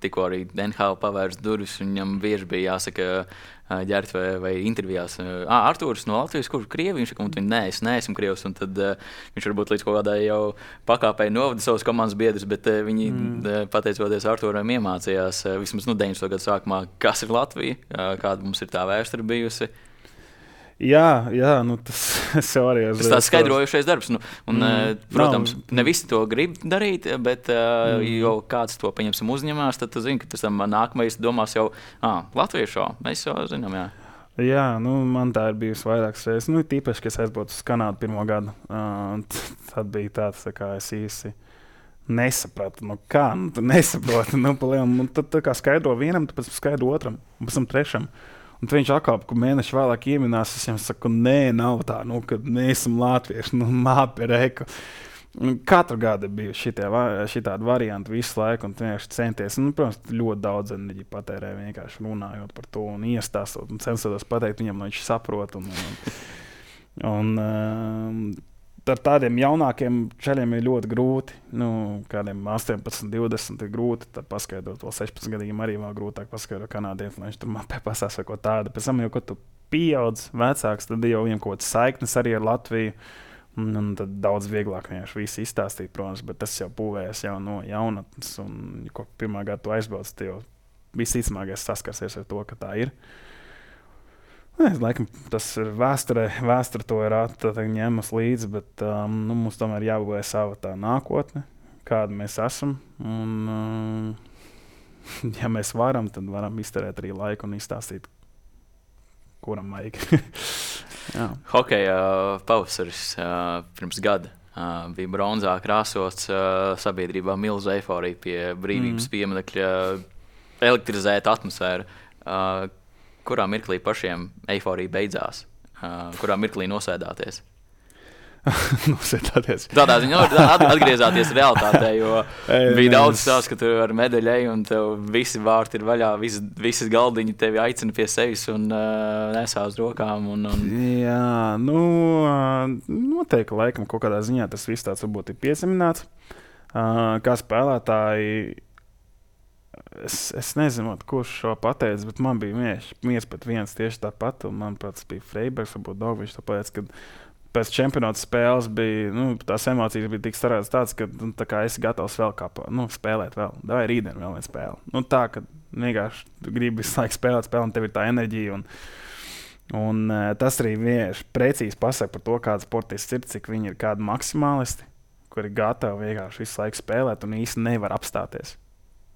tikko arī N H L pavērs durvis, un viņam bieži bija jāsaka ģērt vai, vai intervijās. Ā, Artūrs no Latvijas, kur Krievi, viņš saka, un nē, es neesmu Krievs, un tad uh, viņš varbūt līdz kaut kādai jau pakāpēji novada savus komandas biedrus, bet uh, viņi, mm. pateicoties Artūram, iemācījās uh, vismaz nu, deviņdesmito gadu sākumā, kas ir Latvija, uh, kāda mums ir tā vēsture bijusi. Jā, jā, nu tas jau arī ir. Tas tāds skaidrojošais darbs. Nu, un, mm, protams, nav. Ne visi to grib darīt, bet uh, mm. jau kāds to pieņemsim uzņemās, tad tu zini, ka tas tam nākamais domās jau, ah, latviešu, mēs jau zinām, jā. Jā, nu man tā ir bijusi vairākas reizes. Nu, tīpaši, ka es aizbraucu uz Kanādu pirmo gadu. Uh, tad bija tāds, tā kā es īsi nesapratu. Nu kā, nu tu nesaproti. Nu, palielam, un tad tā kā skaidro vienam, tad pēc skaidro otram, un pēc tam trešam. Un viņš atkal, ka mēneši vēlāk ieminās, es viņam saku, nē, nav tā, nu, kad mēs esam latvieši, nu, māpi, reku. Katru gadu bija šitie, šitādi varianti visu laiku, un vienkārši centies. Nu, protams, ļoti daudz enerģiju patērē vienkārši runājot par to un iestāstot un censoties pateikt viņam, lai viņš saprot. Un, un, un, um, ar tādiem jaunākiem čaļiem ir ļoti grūti. Nu, kādiem astoņpadsmit, divdesmit ir grūti. Tad paskaidrot, vēl sešpadsmit gadiem arī vēl grūtāk paskaidrot kanādiem, lai viņš tur man pasās vai ko tādu. Pēc tam jau, kad tu pieaudz vecāks, tad jau viņam kaut kāds saiknes arī ar Latviju. Un, un tad daudz vieglāk vienkārši visu izstāstīt, protams, bet tas jau būvējas jau no jaunatnes. Un, ko pirmā gada tu aizbrauc, tad jau visticamākais saskarsies ar to, ka tā ir. Es laikam, tas ir vēsturē, vēsture to ir ņēmas līdzi, bet um, nu, mums tomēr jābūvē sava tā nākotne, kāda mēs esam. Un, um, ja mēs varam, tad varam izterēt arī laiku un izstāstīt, kuram vajag. Hokeja pavasaris uh, pirms gada uh, bija bronzā krāsots, uh, sabiedrībā milzu eiforija pie brīvības mm. pieminekļa, elektrizēta atmosfēra. Uh, Kurā mirklī pašiem eiforija beidzās? Uh, kurā mirklī nosēdāties? nosēdāties. Tādā ziņā atgriezāties realitātē, jo Ei, bija daudz stāsts, ka tu ar medaļu ej un tev visi vārti ir vaļā, visas, visas galdiņi tevi aicina pie sevis un uh, nesā uz rokām. Un, un... Jā, nu, noteikti laikam kaut kādā ziņā tas viss tāds varbūt ir piesamināts. Uh, kā spēlētāji, Es, es nezinu, kurš šo pateica, bet man bija viens, viens pret viens tieši tāpat. Manuprāt, tas bija Freibergs, varbūt Dogvičs. Tāpēc, kad pēc čempionāta spēles bija, nu, tās emocijas bija tik sarādas tāds, ka nu, tā kā esi gatavs vēl kā, nu, spēlēt vēl. Davai rītdien vēl vienu spēli. Nu, tā, ka vienkārši gribi visu laiku spēlēt spēli un tev ir tā enerģija. Un, un tas arī vienkārši precīzi pasaka par to, kāds sportists ir, cik viņi ir kādi maksimālisti, kuri ir gatavi vienkārši visu laiku spēlēt un īsti nevar apstāties.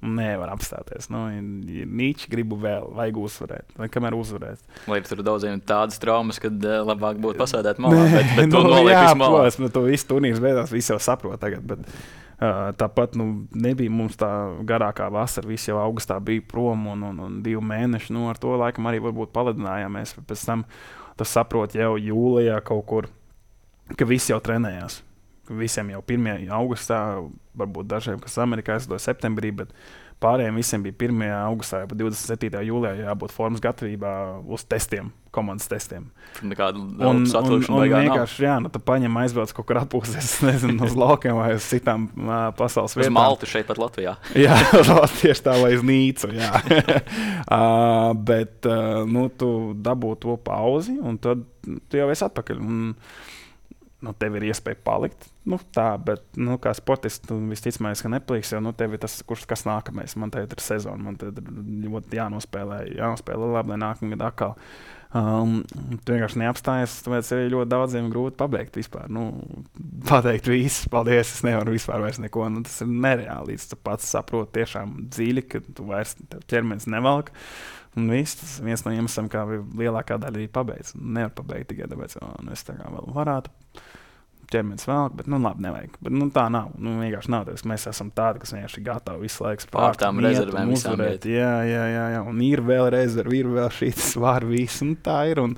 Nevar apstāties. Nu, Nīči gribu vēl, vajag uzvarēt. Vai kamēr uzvarēt? Vai tur daudziem tādas traumas, kad uh, labāk būtu pasēdēt malā, bet, bet nu, to noliek jā, visu malā. Protams, nu, to visu turnīrs beidās, visi jau saprot tagad, bet uh, tāpat nu, nebija mums tā garākā vasara, visi jau augustā bija prom un, un, un divi mēneši, nu ar to laikam arī varbūt paledinājāmies, pēc tam tas saprot jau jūlijā kaut kur, ka visi jau trenējās. Visiem jau pirmajā augustā, varbūt dažiem, kas Amerikā aizlidoja septembrī, bet pārējiem visiem bija pirmajā augustā, jau divdesmit septītajā jūlijā jābūt formas gatavībā uz testiem, komandas testiem. Nekādu un, un, un vienkārši, jā, nu tu paņem aizbrauc kaut kur atpūsties, nezinu, uz laukiem vai uz citām uh, pasaules vietām. Uz Maltu šeit pat Latvijā. Jā, tieši tā, vai uz Nīcu, jā. uh, bet, uh, nu, tu dabū to pauzi, un tad tu jau esi atpakaļ. Un, nu, tev ir iespēja palikt. Nu, tā, bet, nu, kā sportists, tu visticamāk, ka nepaliks, jo, nu, tev ir tas, kurš, kas nākamais. Man tagad ir sezona, man tagad ir jānospēlē, jānospēlē labi, lai nākamgad atkal. Um, tu vienkārši neapstājies, tāpēc ir ļoti daudziem grūti pabeigt vispār. Nu, pateikt visu, paldies, es nevaru vispār vairs neko. Nu, tas ir nereāli, līdz tu pats saproti tiešām dziļi, ka tu vairs ķermenis nevalk. Un viss, tas viens no iemesliem, kā lielākā daļa arī pabeidz. Nevar pabeigt tikai tāpēc, ka nu, es tā kā vēl varētu ķermenis vēl, bet nu labi, nevajag. Bet nu, tā nav. Nu, vienkārši nav. Tāpēc mēs esam tādi, kas vienkārši gatavi visu laiku pār tām rezervēm visām iet. Jā, jā, jā, jā. Un ir vēl rezervi, ir vēl šīs var visu. Un tā ir. Un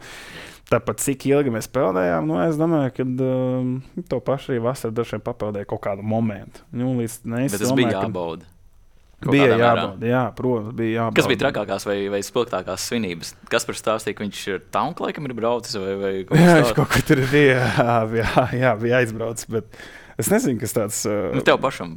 tāpat cik ilgi mēs peldējām, nu, es domāju, ka um, to pašu arī vasarā dažiem papeldēja kaut kādu momentu. Nu, līdz, ne, bet tas domāju, bija jābauda. Bija jābauda, jā, protams, bija jābauda. Kas bija trakākās vai, vai spilgtākās svinības? Kas par stāstīja, ka viņš ir taunk laikam ir braucis vai, vai kaut jā, viņš kaut kur tur bija, jā, jā, bija aizbraucis, bet es nezinu, kas tāds... Uh, nu, tev pašam?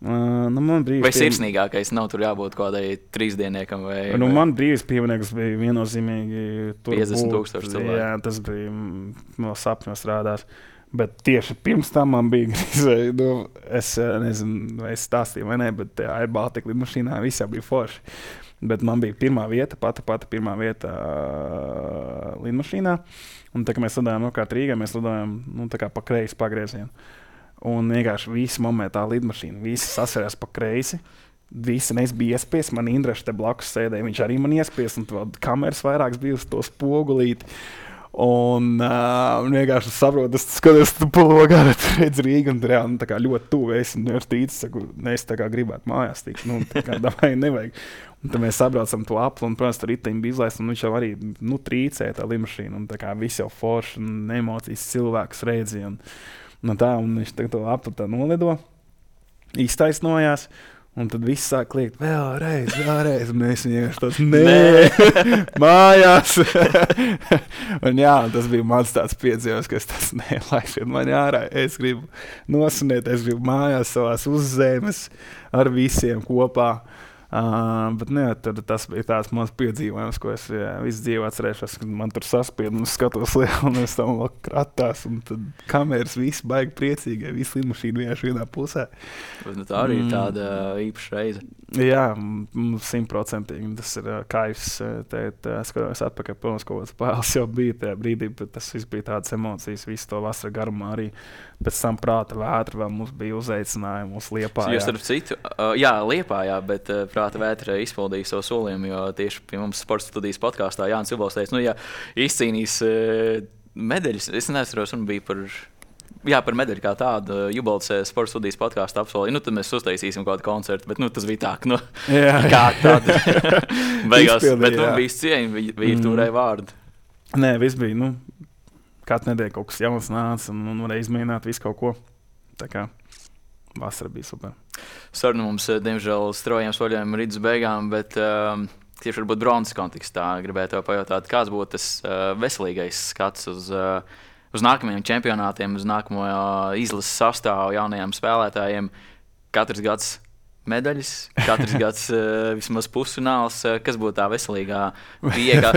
Uh, nu, man brīvs... Vai sirsnīgākais nav tur jābūt kādai trīsdieniekam vai... Nu, vai... man brīvs piemineklis bija viennozīmīgi tur piecdesmit tūkstoši cilvēku. Jā, tas bija no sapņos strādās. Bet tieši pirms tam man bija grīzēji, nu, es nezinu, vai es stāstīju vai ne, bet Air Baltica lidmašīnā visā bija forši. Bet man bija pirmā vieta, pati pati pirmā vieta uh, lidmašīnā. Un tā kā mēs lidojām no kārt Rīgā, mēs lidojām nu, tā kā pa kreisi pagriezienu. Un vienkārši visi momentā lidmašīna, visi sasarās pa kreisi. Visi nes bija iespies, man Indreša te blakus sēdēja, viņš arī man iespies, un vēl kameras vairākas bija uz to spogulīti. Un uh, vienkārši saprotu, es skatos, tu pulogā, tu redz Rīgu, un reāli nu, tā kā ļoti tuvu esi, un es tīcis, saku, ne, es tā kā gribētu mājās tikt, nu, tā kā davai nevajag. Un tad mēs sabraucam to apli, un, protams, tur riteņi bija izlaist, un viņš jau arī, nu, trīcēja tā lidmašīna, un tā kā viss jau forši, un emocijas cilvēkus redzi, un, un tā, un viņš tā, to apli tā nolido, iztaisnojās. Un tad viss sāk kliegt, vēlreiz, vēlreiz, un mēs vienkārši tāds, nē, mājās. Un jā, tas bija mans tāds piedzīvojums, ka es tāds, nē, laišiet mani ārā, es gribu nosunēt, es gribu mājās savās uzzemes ar visiem kopā. Uh, bet ne, tad, tas bija tāds mans piedzīvojums, ko es jā, visu dzīvi atcerēšos, kad man tur saspied un skatos lielu, un es tam vēl kratās, un tad kameras visi baigi priecīgi, visi lidmašīna vienkārši vienā pusē. Bet, nu, tā arī ir tāda īpaša reize. Jā, simtprocentīgi. Tas ir uh, kaifs. Te skatos atpakaļ, protams, kaut kāds pēles jau bija tajā brīdī, bet tas viss bija tādas emocijas, visu to vasara garumā arī. Pēc tam prāta vētra vēl mums bija uzaicinājumi, mums Liepājā. Jūs starp citu, uh, jā, Liepājā, bet uh, prāta vētra izpildīja savu solījumu, jo tieši pie mums Sports studijas podkāstā Jānis Vilbals teica, nu, ja izcīnīs uh, medaļas, es neatceros, un bija par... Jā, par medaļu kā tādu Jubalts Sports studijas podkāstu apsolīja. Nu, tad mēs uztaisīsim kādu koncertu, bet nu, tas bija tā, ka nu, kā tāda beigās. Izpildī, bet nu, bija cieņa, virtūrē vārdu. Nē, viss bija, nu, katru nedēļu kaut kas jauns nāca un, un varēja izmēģināt visu kaut ko. Tā kā vasara bija super. Saruna mums, diemžēl, straujiem soļiem rītas beigām, bet um, tieši varbūt bronzas kontekstā gribētu pajautāt, kāds būtu tas uh, veselīgais skats uz... Uh, uz nākamajiem čempionātiem, uz nākamo izlases sastāvu jaunajiem spēlētājiem. Katrs gads medaļas, katrs gads uh, vismaz pusfināls. Kas būtu tā veselīgā pieeja?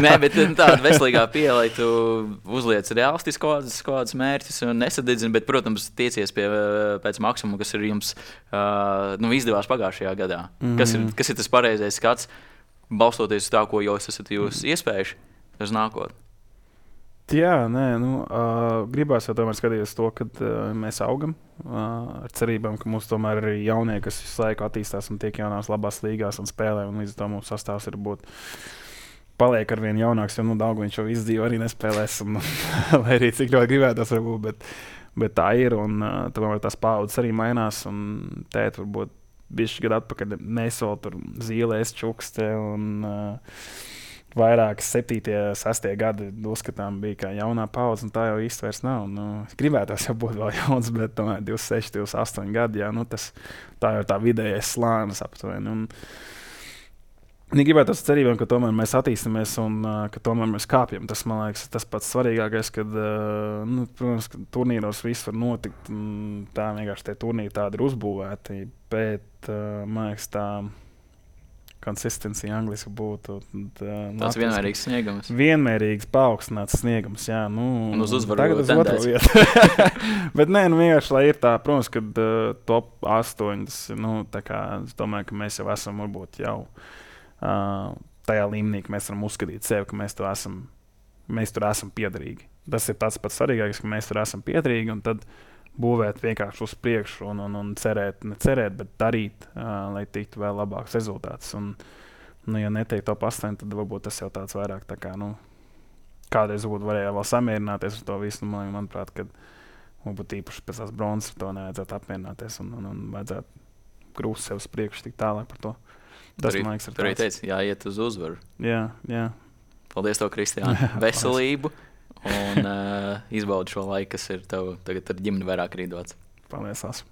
Nē, bet tāda veselīgā pieeja, lai tu uzliec realistiski kaut kādas mērķus un nesadedzini, bet, protams, tiecies pie, pēc maksimuma, kas ir jums uh, nu, izdevās pagājušajā gadā. Mm. Kas ir, kas ir tas pareizais skats, balstoties uz tā, ko jūs esat jūs iespējuši uz nākotni? Jā, nē, nu, uh, gribās jau tomēr skatīties to, ka uh, mēs augam uh, ar cerībām, ka mums tomēr ir arī jaunie, kas visu laiku attīstās un tiek jaunās labās līgās un spēlē, un līdz ar to mums sastāvs ir būt paliek ar vien jaunāks, jo nu, daudz viņš jau izdzīvo arī nespēlēs, un, lai arī cik ļoti gribētos varbūt, bet, bet tā ir, un uh, tomēr tās paudzes arī mainās, un tēt varbūt bišķi gadu atpakaļ mēs vēl tur zīlēs čukste, un uh, vairākas septītie, sestie gadi uzskatām bija kā jaunā paudze, un tā jau īsti vairs nav. Nu, gribētos jau būt vēl jauns, bet tomēr divdesmit seši, divdesmit astoņi gadi, jā, nu tas tā jau tā vidējais slānis aptuveni. Un viņi gribētos cerībām, ka tomēr mēs attīstamies un uh, ka tomēr mēs kāpjam. Tas, man liekas, tas pats svarīgākais, kad, uh, nu, protams, ka turnīros viss var notikt, un tā vienkārši tie turnīri tādi ir uzbūvēti, bet, uh, man liekas, tā konsistencija angliski būtu. Tā, tāds vienmērīgs sniegums. Vienmērīgs paaugstināts sniegums, jā. Nu, un uz uzvaru tagad uz otro vietu. Bet nē, nu vienkārši, lai ir tā, protams, kad uh, top astoņi, tas, nu, tā kā, es domāju, ka mēs jau esam varbūt jau uh, tajā līmenī, ka mēs varam uzskatīt sevi, ka mēs tur esam, mēs tur esam piederīgi. Tas ir tāds pats svarīgākais, ka mēs tur esam piederīgi, un tad būvēt vienkārši uz priekšu un, un, un cerēt, ne cerēt, bet darīt, uh, lai tiktu vēl labāks rezultāts. Un, nu, ja netiek top astoņi, tad varbūt tas jau tāds vairāk tā kā, nu, kādreiz būtu varēja vēl samierināties ar to visu. Nu, man, manuprāt, kad varbūt īpaši pēc tās bronzas to nevajadzētu apmierināties un, un, un vajadzētu grūst sev uz priekšu tik tālāk par to. Tas, tur, man liekas, ir tāds. Tur arī teica, jāiet uz uzvaru. Jā, jā. Paldies tev, Kristiāna. Veselību. Un uh, izbaudi šo laiku, kas ir tev tagad ar ģimeni vairāk arī dots. Paldies, Lās.